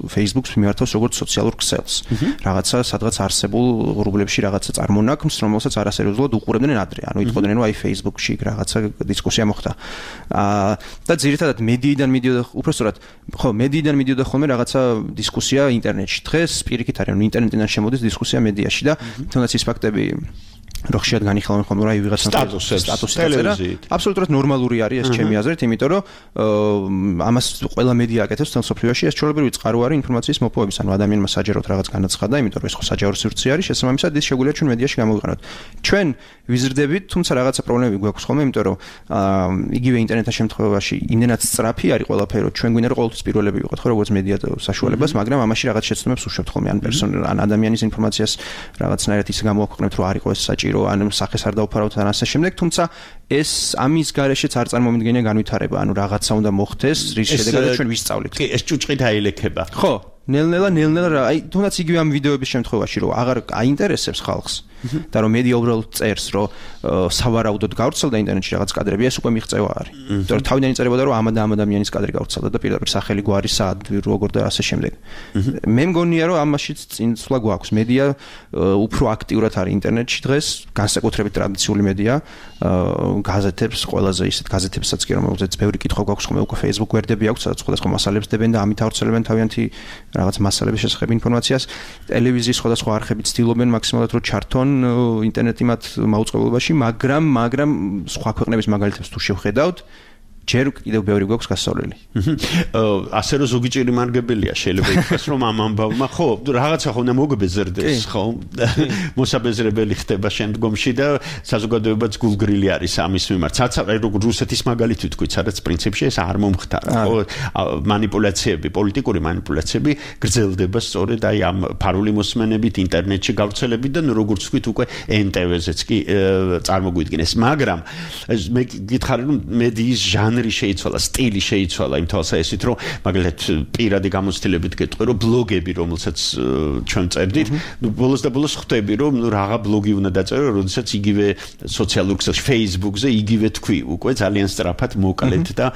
Facebook-ს მიმართავს როგორც სოციალურ ქსელს. რაღაცა სადღაც არსებულ ღრუბლებში რაღაცა წარმონაქმს, რომელსაც არასერიოზულად უყურებდნენ ადრე. ანუ იტყოდნენ, რომ აი Facebook-ში რაღაცა დისკუსია მოხდა. და ძირითადად მედიიდან მიდიოდა, უпростоრად, ხო, მედიიდან მიდიოდა ხოლმე რაღაცა დისკუსია ინტერნეტში. დღეს პირიქით არის, ანუ ინტერნეტიდან შემოდის დისკუსია მედიაში და თუნდაც ის ფაქტები რო ხშირად განიხილავენ ხოლმე, რომ აი ვიღაცა სტატუსი დაწერა. აბსოლუტურად ნორმალური არის ეს ჩემი აზრით, იმიტომ რომ ამას ყველა მედია აკეთებს თელ სოფლიოში, ეს ჩვეულებრივი წყარო არის ინფორმაციის მოპოვების, ანუ ადამიანმა საჯაროდ რაღაც განაცხადა, იმიტომ რომ ეს ხო საჯარო სივრცე არის, შესაბამისად ის შეგვიძლია ჩვენ მედიაში გამოვიყენოთ. ჩვენ ვიზრდებით, თუმცა რაღაცა პრობლემები გვაქვს ხოლმე, იმიტომ რომ იგივე ინტერნეტის შემთხვევაში იმდენად სწრაფი არის ყველაფერი, რომ ჩვენ გვინდა რომ ყოველთვის პირველები ვიყოთ, ხო, როგორც მედია საშუალებას, მაგრამ ამაში რაღაც შეცდომებს უშვებთ ხოლმე, ან ადამიანის ინფორმაციას რაღაცნაირად ისე გამოვაქვეყნებთ, რომ არ იყოს ეს საჭირო, ან სახეს არ დავფარავთ ან ასე შემდეგ, თუმცა ეს ამის გარეშეც არ წარმომიდგენია განვითარება, ანუ რაღაცა უნდა მოხდეს, რის შედეგადაც ჩვენ ვისწავლით. კი, ეს ჭუჭყით აილექება. ხო, ნელ-ნელა, აი თუნდაც იგივე ამ ვიდეოების შემთხვევაში, რომ აღარ აინტერესებს ხალხს და რომ მედია უბრალოდ წერს, რომ სავარაუდოდ გავრცელდა ინტერნეტში რაღაც კადრები, ეს უკვე მიღწევა არის. იმიტომ რომ თავიდან იწერებოდა, რომ ამ ადამიანის კადრი გავრცელდა და პირდაპირ სახელი გვარი სად, როგორ და ასე შემდეგ. მე მგონია, რომ ამაშიც წინსვლა გვაქვს. მედია უფრო აქტიურად არის ინტერნეტში დღეს, განსაკუთრებით ტრადიციული მედია, გაზეთებს, ყველაზე ისეთ გაზეთებსაც კი, რომელზეც ბევრი კითხვა გვაქვს ხოლმე, უკვე Facebook გვერდები აქვს, სადაც სხვადასხვა მასალებს დებენ და ამით ავრცელებენ თავიანთი რაღაც მასალების შესახებ ინფორმაციას. ტელევიზიის სხვადასხვა არხები ცდილობენ მაქსიმალურად რომ ჩართონ ინტერნეტი მათ მაუწყებლობაში, მაგრამ სხვა ქვეყნების მაგალითებს თუ შევხედავთ, ჯერ კიდევ ბევრი გვაქვს გასასვლელი. ასე რომ ზოგი ჭირი მარგებელია შეიძლება ითქვას, რომ ამ ამბავმა ხო რაღაცა ხო უნდა მოგბეზრდეს, ხო? მოსაბეზრებელი ხდება შემდგომში და საზოგადოებაც გულგრილი არის ამის მიმართ. საცავი როგორ რუსეთის მაგალითი თქვით, სადაც პრინციპში ეს არ მომხდარა, ხო? მანიპულაციები, პოლიტიკური მანიპულაციები გრძელდება სწორედ აი ამ ფარული მოსმენებით, ინტერნეტში გავრცელებიდან, როგორც თქვით, უკვე NTV-ზეც კი წარმოგვიდგინეს. მაგრამ მე გითხარი, რომ მედიის ჟანრი შეიცვალა, სტილი შეიცვალა იმ თვალსაჩინოდ, რომ მაგალითად პირადი გამოცდილებით გეტყვი, რომ ბლოგები, რომელსაც ჩვენ წერდით, ბოლოს და ბოლოს ხვდები, რომ რაღა ბლოგი უნდა დაწერო, როდესაც იგივე სოციალურ ქსელში, Facebook-ზე იგივე თქვი, უკვე ძალიან სწრაფად მოკლედ და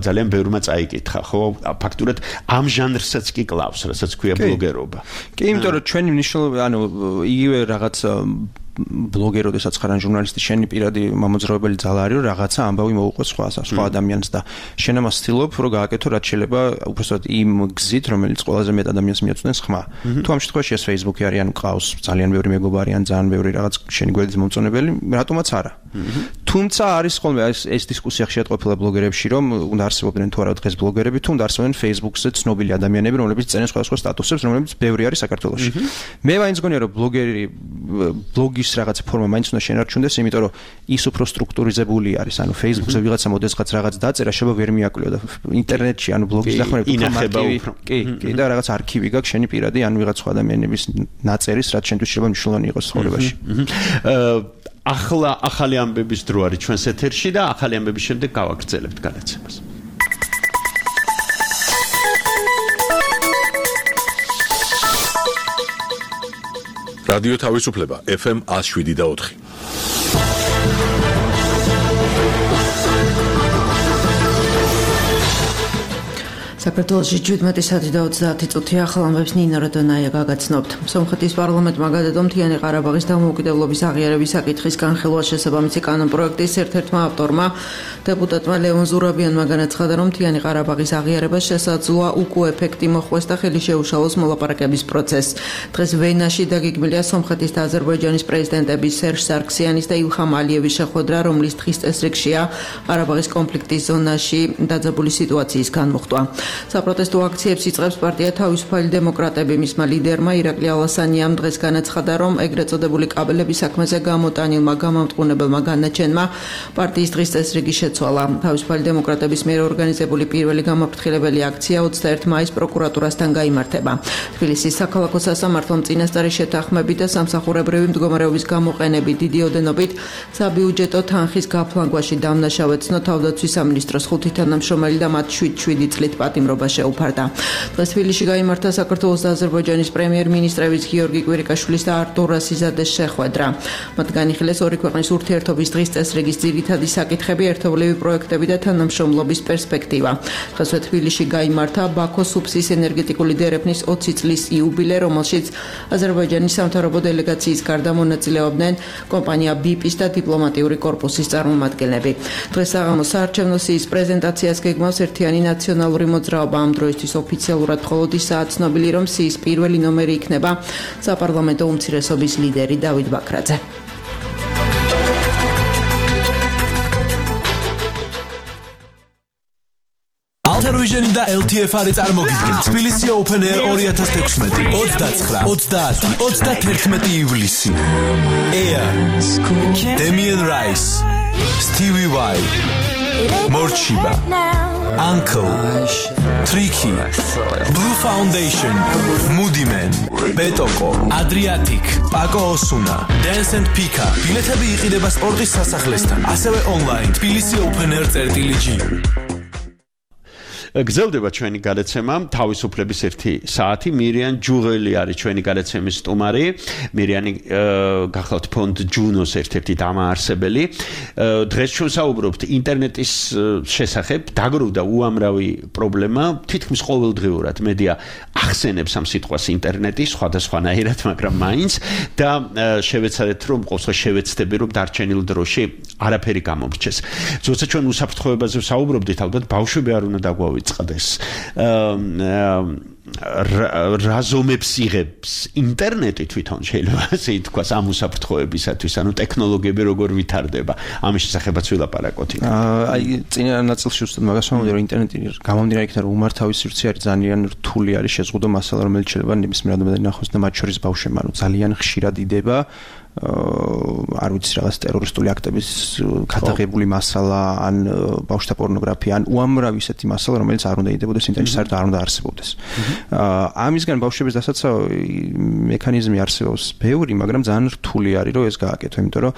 ძალიან ბევრმა წაიკითხა, ხო? ფაქტურად ამ ჟანრსაც კი კლავს, რასაც ქვია ბლოგერობა. კი, იმიტომ რომ ჩვენი მნიშვნელობა, ანუ იგივე რაღაც ბლოგერი, როდესაც ხარ ან ჟურნალისტი, შენი პირადი მამოძრავებელი ძალა არის, რომ რაღაცა ამბავი მოუყვეს სხვა ადამიანს და შენ ამას ცდილობ, რომ გააკეთო რაც შეიძლება უბრალოდ იმ გზით, რომელიც ყველაზე მეტ ადამიანს მიაწვდენს ხმა. თუ ამ შემთხვევაში ეს Facebook-ი არის, ან ყავს ძალიან ბევრი მეგობარი, ან ძალიან ბევრი რაღაც შენი გვერდის მომწონებელი, რატომაც არა. თუმცა არის ხოლმე ეს დისკუსია ხშირად ყოფილა ბლოგერებში, რომ უნდა არსებობდნენ თუ არა დღეს ბლოგერები, თუ უნდა არსებობდნენ Facebook-ზე ცნობილი ადამიანები, რომლებიც წერენ სხვადასხვა სტატუსებს, რომლებიც ბევრი არის საქართველოში. მე მაინც გონია, რომ ბლოგის რაღაც ფორმა მაინც უნდა შენარჩუნდეს, იმიტომ რომ ის უფრო სტრუქტურიზებული არის. ანუ Facebook-ზე ვიღაცა მოდესღაც რაღაც დაწერა, შეიძლება ვერ მიაკვლიო და ინტერნეტში, ანუ ბლოგის დახმარება ინახება უფრო. კი, და რაღაც არქივი გაქვს შენი პირადი, ან ვიღაც სხვა ადამიანების ნაწერის, რაც შენთვის შეიძლება მნიშვნელოვანი იყოს ცხოვრებაში. ახალი ამბების დრო არის ჩვენს ეთერში და ახალი ამბების შემდეგ გავაგრძელებთ გადაცემას. რადიო თავისუფლება FM 107.4. საქართველოში 17 საათი და 30 წუთი ახალ ამბებს ნინო როდონაია გაგაცნობთ. სომხეთის პარლამენტმა გადადო მთიანი ყარაბაღის დამოუკიდებლობის აღიარების საკითხის განხილვა შესაბამისი კანონპროექტის ერთ-ერთმა ავტორმა დეპუტატმა ლეონ ზურაბიანმა განაცხადა, რომ მთიანი ყარაბაღის აღიარება შესაძლოა უკუ ეფექტი მოხვდეს და ხელი შეუშალოს მოლაპარაკების პროცესს. დღეს ვენაში დაგეგმილია სომხეთის და აზერბაიჯანის პრეზიდენტების სერჟ სარქსიანის და ილჰამ ალიევის შეხვედრა, რომლის დღის წესრიგშია ყარაბაღის კონფლიქტის ზონაში დაძაბული სიტუაციის განმუხტვა. საპროტესტო აქციებს იწყებს პარტია თავისუფალი დემოკრატები. მისმა ლიდერმა ირაკლი ალასანიამ დღეს განაცხადა, რომ ეგრეთ წოდებული კაბელების საქმეზე გამოტანილმა გამამტყუნებელმა განაჩენმა პარტიის დღის წესრიგი შეცვალა. თავისუფალი დემოკრატების მიერ ორგანიზებული პირველი გამაფრთხილებელი აქცია 21 მაისს პროკურატურასთან გაიმართება. თბილისის საქალაქო სასამართლომ წინასწარი შეთანხმებით და სამსახურებრივი მდგომარეობის გამოყენებით დიდი ოდენობით საბიუჯეტო თანხის გაფლანგვაში დამნაშავე ცნო თავდაცვის სამინისტროს 5 თანამშრომელი და მათ 7 წლით პატიმრობა შეუფარდა. დღეს თბილისში გაიმართა საქართველოს და აზერბაიჯანის პრემიერ-მინისტრების გიორგი კვირიკაშვილის და არტურ რასიზადეს შეხვედრა. მათ განიხილეს ორი ქვეყნის ურთიერთობის დღის წესრიგის ძირითადი საკითხები, ერთობლივი პროექტები და თანამშრომლობის პერსპექტივა. დღესვე თბილისში გაიმართა ბაქოს უბსის ენერგეტიკული დერეფნის 20 წლის იუბილე, რომელშიც აზერბაიჯანის სამთავრობო დელეგაციის გარდა მონაწილეობდნენ კომპანია BIP-ის და დიპლომატიური კორპუსის წარმომადგენლები. დღეს საღამოს საარჩევნო სიის პრეზენტაციას გეგმავს ერთიანი ნაციონალური მოძრაობა. ამ დროისთვის ოფიციალურად მხოლოდ ისაა ცნობილი, რომ სიის პირველი ნომერი იქნება საპარლამენტო უმცირესობის ლიდერი დავით ბაქრაძე. Alter-Vision და LTF-არი წარმოგიდგენთ თბილისი Open Air 2016 29-31 ივლისი. Air, Damien Rice, Stevie Vai, Morchiba, Uncle, Tricky, Blue Foundation, Moody Man, Betoko, Adriatic, Paco Osuna, Dance and Pika. ბილეთები იყიდება სპორტის სასახლესთან, ასევე online თბილისი Open Air.g. გრძელდება ჩვენი გადაცემა თავისუფლების 1 საათი. მირიან ჯუღელი არის ჩვენი გადაცემის სტუმარი. მირიანი გახლავთ ფონდ ჯუნოს ერთ-ერთი დამაარსებელი. დღეს ჩვენ საუბრობთ ინტერნეტის შესახებ. დაგროვდა უამრავი პრობლემა. თითქმის ყოველდღიურად მედია ახსენებს ამ სიტყვას ინტერნეტი სხვადასხვანაირად, მაგრამ მაინც და შევეცადეთ, რომ ყოველთვის შევეცდები, რომ დარჩენილ დროში არაფერი გამომრჩეს. ზოგადად ჩვენ უსაფრთხოებაზე ვსაუბრობდით, ალბათ ბავშვები არ უნდა დაგვავიწყდეს. რაზომებს იღებს ინტერნეტი თვითონ შეიძლება ასე ითქვას ამ უსაფრთხოებისათვის, ანუ ტექნოლოგიები როგორ ვითარდება. ამის შესახებაც ვილაპარაკოთ. აი წინა ნაწილში უბრალოდ მაგას ვამბობდი, რომ ინტერნეტი გამომდინარე იქიდან, რომ უმართავი სივრცე არის ძალიან რთული არის შეზღუდო მასალა, რომელიც შეიძლება ნებისმიერ ადამიანს ნახოს და მათ შორის ბავშვებმა, რომ ძალიან ხშირად იდება არ ვიცი რაღაც ტერორისტული აქტების გადაღებული მასალა, ან ბავშვთა პორნოგრაფია, ან უამრავი ისეთი მასალა, რომელიც არ უნდა იდებოდეს ინტერნეტში, საერთოდ არ უნდა არსებობდეს. ამისგან ბავშვების დასაცავი მექანიზმი არსებობს ბევრი, მაგრამ ძალიან რთული არის, რომ ეს გააკეთო, იმიტომ რომ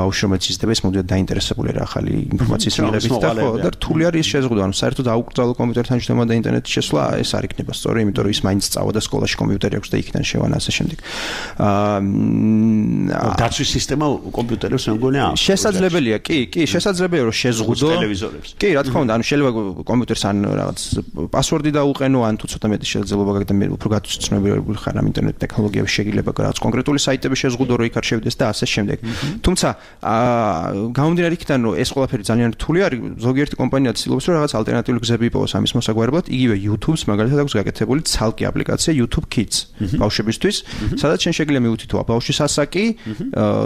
ბავშვი რომელიც იზრდება, ის მოდიოდა დაინტერესებული რა ახალი ინფორმაციის მიღებით და ხო, და რთული არის ეს შეზღუდვა, ანუ საერთოდ აუკრძალო კომპიუტერთან შედარება და ინტერნეტში შესვლა, ეს არ იქნება სწორი, იმიტომ რომ ის მაინც სწავლა და სკოლაში კომპიუტერი აქვს და იქიდან შევანა ასე შემდეგ. დაცვის სისტემა კომპიუტერებს მე მგონია შესაძლებელია, კი, შესაძლებელია რომ შეზღუდო ტელევიზორებს. კი, რა თქმა უნდა, ანუ შეიძლება კომპიუტერს ან რაღაც პასვორდი დაუყენო, ან თუ ცოტა მეტი შესაძლებლობა გაქვს და მე უფრო გაცნობიერებული ხარ ამ ინტერნეტ ტექნოლოგიებში შეიძლება რაღაც კონკრეტული საიტები შეზღუდო რომ იქ არ შევიდეს და ასე შემდეგ. თუმცა გამომდინარე იქიდან რომ ეს ყველაფერი ძალიან რთული არის, ზოგიერთი კომპანია ცდილობს რომ რაღაც ალტერნატიული გზები იპოვოს ამის მოსაგვარებლად, იგივე YouTube-ს მაგალითად აქვს გაკეთებული ცალკე აპლიკაცია YouTube Kids ბავშვებისთვის, სადაც შენ შეგიძლია მივუთითო ბავშვის ასაკი,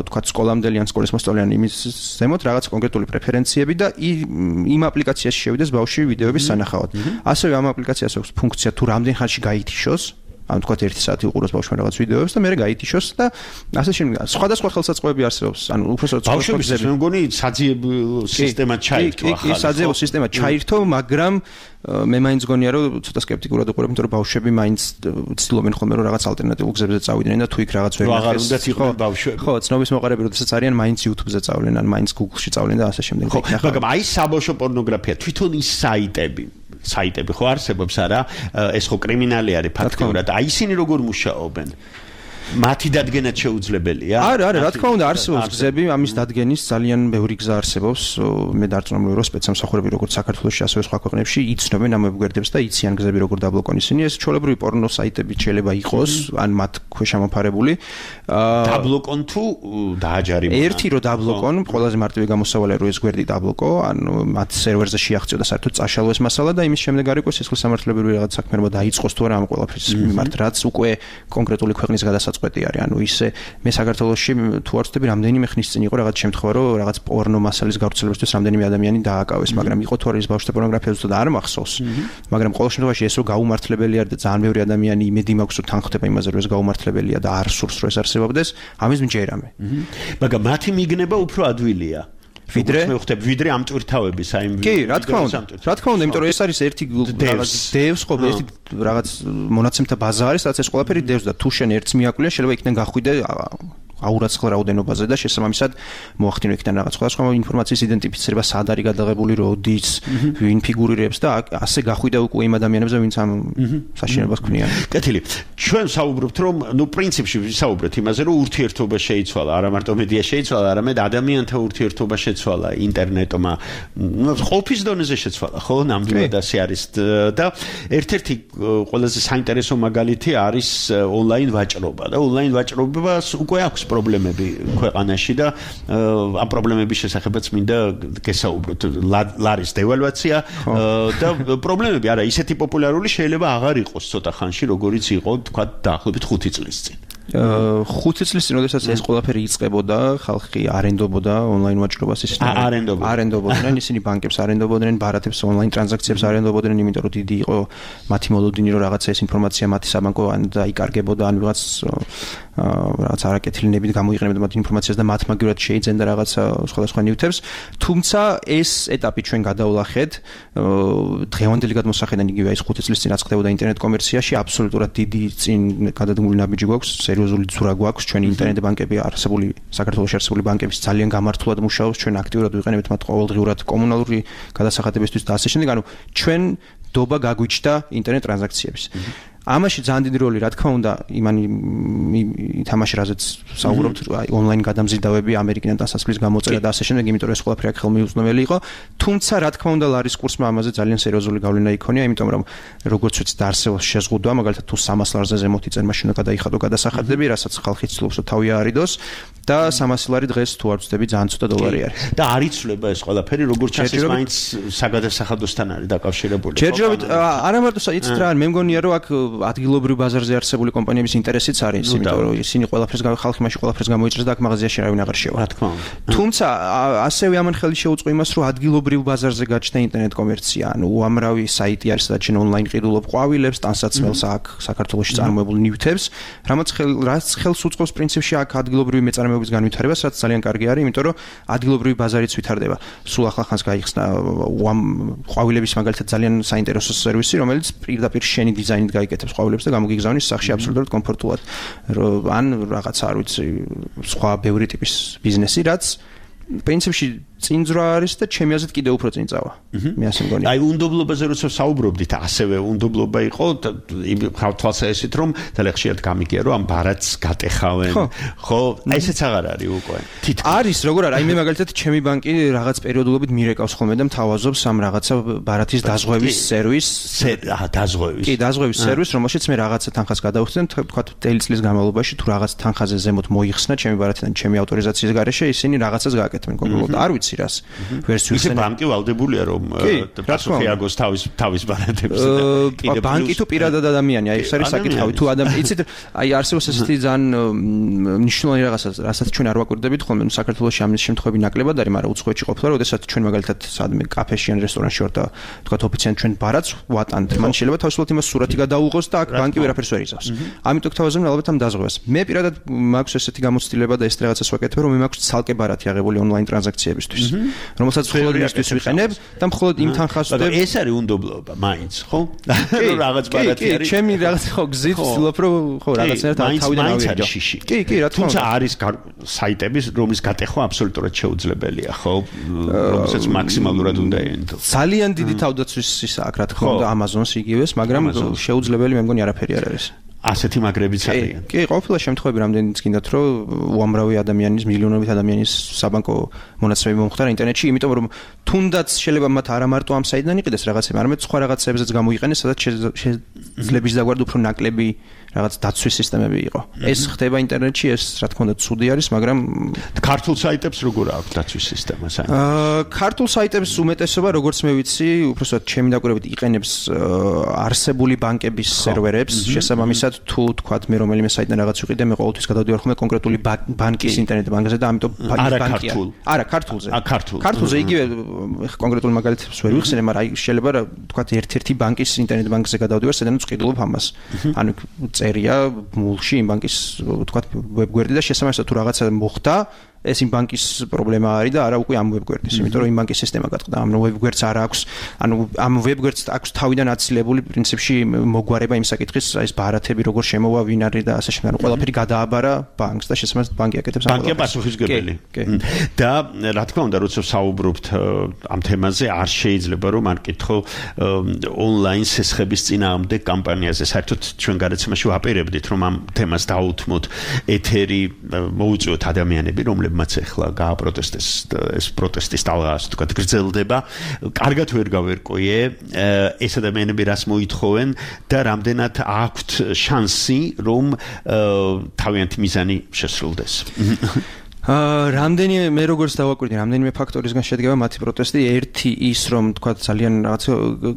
თქვა სკოლამდელი ან სკოლის მოსწავლეანი იმის ზემოთ რაღაც კონკრეტული პრეფერენციები და იმ აპლიკაციაში შევიდეს ბავშვი ვიდეოების სანახავად. ასევე ამ აპლიკაციას აქვს ფუნქცია თუ რამდენ ხანში გაითიშოს, ან თქვა 1 საათი უყუროს ბავშვმა რაღაც ვიდეოებს და მერე გაითიშოს და ასე შემდეგ. სხვადასხვა ხელსაწყოები არსებობს, ანუ უბრალოდ ბავშვების მე მგონი საძიებო სისტემა ჩაირთო ახლა. კი, საძიებო სისტემა ჩაირთო, მაგრამ მე მაინც გონია რომ ცოტა სკეპტიკურად უყურებ, იმიტომ რომ ბავშვები მაინც ცდილობენ ხოლმე რომ რაღაც ალტერნატიულ გზებზე წავიდნენ და თუ იქ რაღაც ვერ ნახეს. ხო, ცნობის მოყარები როდესაც არიან, მაინც YouTube-ზე წავლენ, ან მაინც Google-ში წავლენ და ასე შემდეგ. ხო, მაგრამ აი საბავშვო პორნოგრაფია, თვითონ ის საიტები ხო არსებობს არა? ეს ხო კრიმინალი არის ფაქტობრივად. აი ისინი როგორ მუშაობენ? მათი დადგენაც შეუძლებელია? არა, რა თქმა უნდა არსებობს გზები, ამის დადგენის ძალიან ბევრი გზა არსებობს. მე დარწმუნებული რომ სპეცსამსახურები როგორც საქართველოში, ასევე სხვა ქვეყნებში იცნობენ ამ ვებგვერდებს და იციან გზები როგორ დაბლოკონ ისინი. ეს ჩვეულებრივი პორნო საიტები შეიძლება იყოს, ან მათ ქვეშ ამოფარებული. დაბლოკონ თუ დააჯარიმონ? ერთი რომ დაბლოკონ, ყველაზე მარტივი გამოსავალია რომ ეს გვერდი დაბლოკო, ანუ მათ სერვერზე შეაღწიო და საერთოდ წაშალო ეს მასალა და იმის შემდეგ არ იყოს სისხლის სამართლებრივი რაღაც საქმიანობა დაიწყოს თუ არა ამ ყველაფრის მიმართ, რაც უკვე კონკრეტული ქვეყნის გადასაწყვეტი არის. ანუ ისე მე საქართველოში თუ არ ვწდები რამდენიმე ხნის წინ იყო რაღაც შემთხვევა რომ რაღაც პორნო მასალის გავრცელებისთვის რამდენიმე ადამიანი დააკავეს, მაგრამ იყო თუ არის ბავშვთა პორნოგრაფია ზუსტად არ მახსოვს. მაგრამ ყოველ შემთხვევაში ეს რომ გაუმართლებელი არის და ძალიან ბევრი ადამიანი იმედი მაქვს რომ თან ხდება იმაზე რომ ეს გაუმართლებელია და არ სურს რომ ეს არსებობდეს, ამის მჯერამე. მაგრამ მათი მიგნება უფრო ადვილია. ვიდრე ამ ტვირთავების აი კი, რა თქმა უნდა, იმიტომ რომ ეს არის ერთი რაღაც დევს ხო, ერთი რაღაც მონაცემთა ბაზა არის, სადაც ეს ყველაფერი დევს და თუ შენ ერთს მიაკვლიე, შეიძლება იქიდან გახვიდე აურაცხელ რაოდენობაზე და შესაბამისად მოახდინო იქიდან რაღაც სხვადასხვა ინფორმაციის იდენტიფიცირება, სად არის გადაღებული, როდის, ვინ ფიგურირებს და ასე გახვიდე უკვე იმ ადამიანებზე, ვინც ამ საშინელებას ქმნიან. კეთილი. ჩვენ საუბრობთ რომ პრინციპში ვისაუბრეთ იმაზე, რომ ურთიერთობა შეიცვალა, არა მარტო მედია შეიცვალა, არამედ ადამიანთა ურთიერთობა შეცვალა ინტერნეტმა. ყოფის დონეზე შეცვალა, ხო, ნამდვილად ასე არის და ერთ-ერთი ყველაზე საინტერესო მაგალითი არის ონლაინ ვაჭრობა და ონლაინ ვაჭრობას უკვე აქვს პრობლემები ქვეყანაში და ამ პრობლემების შესახებაც მინდა გესაუბროთ. ლარის დევალვაცია და პრობლემები არა ისეთი პოპულარული შეიძლება აღარ იყოს ცოტა ხანში, როგორიც იყო თქვა დაახლოებით 5 წლის წინ. 5 წლის წინ, როდესაც ეს ყველაფერი იწყებოდა, ხალხი არენდობოდა ონლაინ ვაჭრობას არენდობოდნენ, ისინი ბანკებს არენდობოდნენ, ბარათებს ონლაინ ტრანზაქციებს არენდობოდნენ, იმიტომ რომ დიდი იყო მათი მოლოდინი, რომ რაღაცა ეს ინფორმაცია მათი საბანკო ან დაიკარგებოდა, ან რაღაც არაკეთილნებით გამოიყენებდა მათ ინფორმაციას და მათ მაგივრად შეიძენდა რაღაცა სხვადასხვა ნივთებს. თუმცა ეს ეტაპი ჩვენ გადავლახეთ დღევანდელი გადმოსახედიდან იგივე ის 5 წლის წინ რაც ხდებოდა ინტერნეტ კომერციაში, აბსოლუტურად დიდი წინ გადადგმული ნაბიჯი გვაქვს, სერიოზული ძვრა გვაქვს, ჩვენი ინტერნეტ ბანკები არსებული საქართველოში არსებული ბანკების ძალიან გამართულად მუშაობს, ჩვენ აქტიურად ვიყენებთ მათ ყოველდღიურად კომუნალური გადასახადებისთვის და ასე შემდეგ, ანუ ჩვენ დობა გაგვიჩნდა ინტერნეტ ტრანზაქციების. ამაში ძალიან დიდი როლი, რა თქმა უნდა, იმანი ითამაშა, რაზეც საუბრობთ, ონლაინ გადამზიდავები, ამერიკიდან დასასვლის გამოწერა და ასე შემდეგ, იმიტომ რომ ეს ყველაფერი აქ ხელმიუწვდომელი იყო. თუმცა, რა თქმა უნდა, ლარის კურსმა ამაზე ძალიან სერიოზული გავლენა იქონია, იმიტომ რომ როგორც ვიცით, არსებობს შეზღუდვა, მაგალითად, თუ 300 ლარზე ზემოთ იწერ მაშინ უნდა გადაიხადო გადასახადები, რასაც ხალხი ცდილობს რომ თავი აარიდოს და 300 ლარი დღეს თუ არ ვწდები, ძალიან ცოტა დოლარი არის. და არ იცვლება ეს ყველაფერი, როგორც ჩანს, მაინც საგადასახადოსთან არის დაკავშირებული. ჯერჯერობით არა მარტო იცით რა, მე მგონია რომ აქ ადგილობრივ ბაზარზე არსებული კომპანიების ინტერესიც არის, იმიტომ რომ ისინი ყველაფერს ხალხი მაშინ ყველაფერს გამოიჭრეს და აქ მაღაზიაში არავინ აღარ შევა. რა თქმა უნდა. თუმცა ასევე ამან ხელი შეუწყო იმას, რომ ადგილობრივ ბაზარზე გაჩნდა ინტერნეტ კომერცია, ანუ უამრავი საიტი არის, სადაც შენ ონლაინ ყიდულობ ყვავილებს, ტანსაცმელს აქ საქართველოში წარმოებულ ნივთებს, რაც ხელს უწყობს პრინციპში აქ ადგილობრივი მეწარმეობის განვითარებას, რაც ძალიან კარგი არის, იმიტომ რომ ადგილობრივი ბაზარიც ვითარდება. სულ ახლა ხანს გაიხსნა ყვავილების მაგალითად ძალიან საინტერესო სერვისი, რომელიც პირდაპირ შენი დიზაინით გაიკეთებს ყვავილებს და გამოგიგზავნის სახში აბსოლუტურად კომფორტულად. ან რაღაცა არ ვიცი, სხვა ბევრი ტიპის ბიზნესი, რაც პრინციპში წინძვრა არის და ჩემი აზრით კიდევ უფრო წინ წავა. მე ასე მგონია. აი უნდობლობაზე როცა საუბრობდით, ასევე უნდობლობა იყო იმ თვალსაჩინოდ რომ თალახშიად გამიგია რომ ამ ბარათს გატეხავენ. ხო, ესეც აღარ არის უკვე. არის, როგორ არის? აი მე მაგალითად ჩემი ბანკი რაღაც პერიოდულობით მირეკავს ხოლმე და მთავაზობს ამ რაღაცა ბარათის დაზღვევის სერვისს. დაზღვევის. კი, დაზღვევის სერვისს, რომელშიც მე რაღაცა თანხას გადავხდენ, თქვა წლის განმავლობაში თუ რაღაც თანხაზე ზემოთ მოიხსნა ჩემი ბარათიდან ჩემი ავტორიზაციის გარეშე, ისინი რაღაცას გააკეთებენ კონკრეტულად. არ ვიცი რას. ვერსიულ ისე ბანკი ვალდებულია რომ პასუხი აგოს თავის ბარათებს. ბანკი თუ პირადად ადამიანი, აი ეს არის საკითხავი. თუ ადამიანი, იცით, აი არსებობს ესეთი ძალიან მნიშვნელოვანი რაღაცა, რასაც ჩვენ არ ვაკვირდებით ხოლმე, საქართველოში ამის შემთხვევები ნაკლებად არის, მაგრამ უცხოეთში ყოფილა, როდესაც ჩვენ მაგალითად სადმე კაფეში ან რესტორანში ვარ და თქვა ოფიციალურად ჩვენ ბარათს ვატანთ, მან შეიძლება თავისუფლად იმას სურათი გადაუღოს და აქ ბანკი ვერაფერს ვერ იცავს. ამიტომ გთავაზობენ ალბათ ამ დაზღვევას. მე პირადად მაქვს ესეთი გამოცდილება და ეს რაღაცას ვაკეთებ, რომ მე მაქვს ცალკე ბარათი აღებული ონლაინ ტრანზაქციებისთვის, რომელსაც მხოლოდ იმისთვის ვიყენებ და მხოლოდ იმ თანხას ვდებ. ეს არის უნდობლობა, მაინც, ხო? რომ რაღაც ბარათი არის. კი, ჩემი რაღაც ხო გზით ვცდილობ რომ ხო რაღაცნაირად თავიდან ავიღო. კი, კი, რა თქმა უნდა. თუმცა არის საიტები, რომლის გატეხვა აბსოლუტურად შეუძლებელია, ხო? რომელსაც მაქსიმალურად უნდა ეენთო. ძალიან დიდი თავდაცვის ისა აქ რა თქმა უნდა Amazon-ს იგივეს, მაგრამ შეუძლებელი მე მგონი არაფერი არ არის. ასეთი მაგრებიც არიან. კი, ყოფილა შემთხვევები რამდენიც გინდათ რომ უამრავი ადამიანის, მილიონობით ადამიანის საბანკო მონაცემები მომხდარა ინტერნეტში, იმიტომ რომ თუნდაც შეიძლება მათ არა მარტო ამ საიტიდან იყიდეს რაღაცები, არამედ სხვა რაღაცებზეც გამოიყენეს, სადაც შეიძლება დაგვარდა უფრო ნაკლები რაღაც დაცვის სისტემები იყო. ეს ხდება ინტერნეტში, ეს რა თქმა უნდა ცუდი არის, მაგრამ ქართულ საიტებს როგორ აქვს დაცვის სისტემა საერთოდ? ქართულ საიტებს უმეტესობა, როგორც მე ვიცი, უბრალოდ ჩემი დაკვირვებით იყენებს არსებული ბანკების სერვერებს, შესაბამისად თუ თქვათ მე რომელიმე საიტიდან რაღაც ვიყიდე, მე ყოველთვის გადავდივარ ხოლმე კონკრეტული ბანკის ინტერნეტ ბანკზე და ამიტომ ბანკია. არა, ქართულზე. ქართულზე იგივე კონკრეტულ მაგალითებს ვერ ვიხსენე, მაგრამ აი შეიძლება თქვათ ერთ-ერთი ბანკის ინტერნეტ ბანკზე გადავდივარ, სადაც ვყიდულობ ამას. ანუ წერია მულში იმ ბანკის თქვათ ვებგვერდი და შესაბამისად თუ რაღაცა მოხდა ეს იმ ბანკის პრობლემა არის და არა უკვე ამ ვებგვერდის, იმიტომ რომ იმ ბანკის სისტემა გატყდა. ამ ვებგვერდს არ აქვს, ანუ ამ ვებგვერდს აქვს თავიდან აცილებული პრინციპში მოგვარება იმ საკითხის, აი ეს ბარათები როგორ შემოვა, ვინ არის და ასე შემდეგ. ყველაფერი გადააბარა ბანკს და შესაბამისად ბანკი აკეთებს ამ ბანკია პასუხისმგებელი. და რა თქმა უნდა, როცა საუბრობთ ამ თემაზე, არ შეიძლება რომ არ კითხო ონლაინ სესხების წინააღმდეგ კამპანიაზე. საერთოდ ჩვენ გადაცემაში ვაპირებდით, რომ ამ თემას დაუთმოთ ეთერი, მოუწიოთ ადამიანები, რომლებმაც ახლა გააპროტესტეს ეს პროტესტის ტალღა ასე თქვა გრძელდება. კარგად ვერ გავერკვიე ეს ადამიანები რას მოითხოვენ და რამდენად აქვთ შანსი რომ თავიანთი მიზანი შესრულდეს. რამდენიმე მე როგორც დავაკვირდი, რამდენიმე ფაქტორისგან შედგება მათი პროტესტი. ერთი ის რომ თქვა ძალიან რაღაც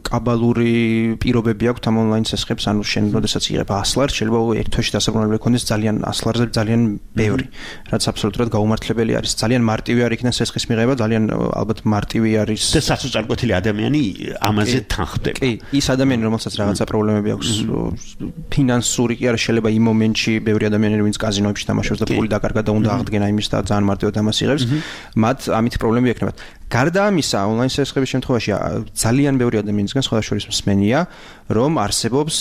კაბალური პირობები აქვს ამ ონლაინ სესხებს, ანუ შენ როდესაც იღებ 100 ლარს, შეიძლება ერთ თვეში დასაბრუნებელი ქონდეს ძალიან 100 ლარზე ძალიან ბევრი, რაც აბსოლუტურად გაუმართლებელი არის. ძალიან მარტივი არის იქიდან სესხის მიღება, ძალიან ალბათ მარტივი არის და საწუწარკვეთილი ადამიანი ამაზე თანხდება. კი, ის ადამიანი რომელსაც რაღაცა პრობლემები აქვს ფინანსური კი არა, შეიძლება იმ მომენტში ბევრი ადამიანი ვინც კაზინოებში თამაშობს და ფული დაკარგა და უნდა აღდგენა იმის და ძალიან მარტივად ამას იღებს, მათ ამით პრობლემები ექნებათ. გარდა ამისა, ონლაინ სესხების შემთხვევაში ძალიან ბევრი ადამიანისგან სხვადასხვა მსმენია, რომ არსებობს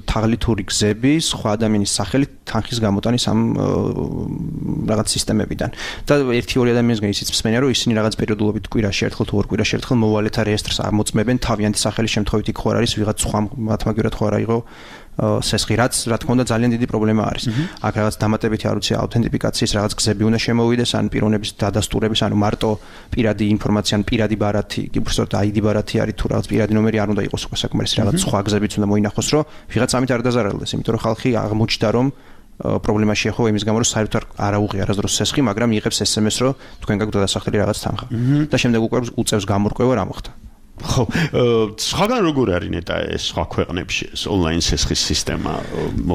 თაღლითური გზები სხვა ადამიანის სახელით თანხის გამოტანის ამ რაღაც სისტემებიდან. და ერთი-ორი ადამიანისგან ისიც მსმენია, რომ ისინი რაღაც პერიოდულობით კვირაში ერთხელ თუ ორ კვირაში ერთხელ მოვალეთა რეესტრს ამოწმებენ თავიანთი სახელის შემთხვევით იქ ხო არის ვიღაც სხვა მათმაგერად ხო არა იყო სესხი, რაც რა თქმა უნდა ძალიან დიდი პრობლემა არის. აქ რაღაც დამატებითი არ ვიცი აუთენტიფიკაციის რაღაც გზები უნდა შემოვიდეს, ან პიროვნების დადასტურების, ანუ მარტო პირადი ინფორმაცია, ან პირადი ბარათი, უბრალოდ ID ბარათი არის თუ რაღაც პირადი ნომერი არ უნდა იყოს უკვე საკმარისი, რაღაც სხვა გზებიც უნდა მოინახოს, რომ ვიღაც ამით არ დაზარალდეს, იმიტომ რომ ხალხი აღმოჩნდა რომ პრობლემა შეეხო იმის გამო რომ საერთოდ არ აუღია არასდროს სესხი, მაგრამ იღებს SMS-ს რომ თქვენ გაქვთ დასახელი რაღაც თანხა. და შემდეგ უკვე უწევს გამორკვევა რა მოხდა. ხო, სხვაგან როგორ არის ნეტა ეს სხვა ქვეყნებში ეს ონლაინ სესხის სისტემა?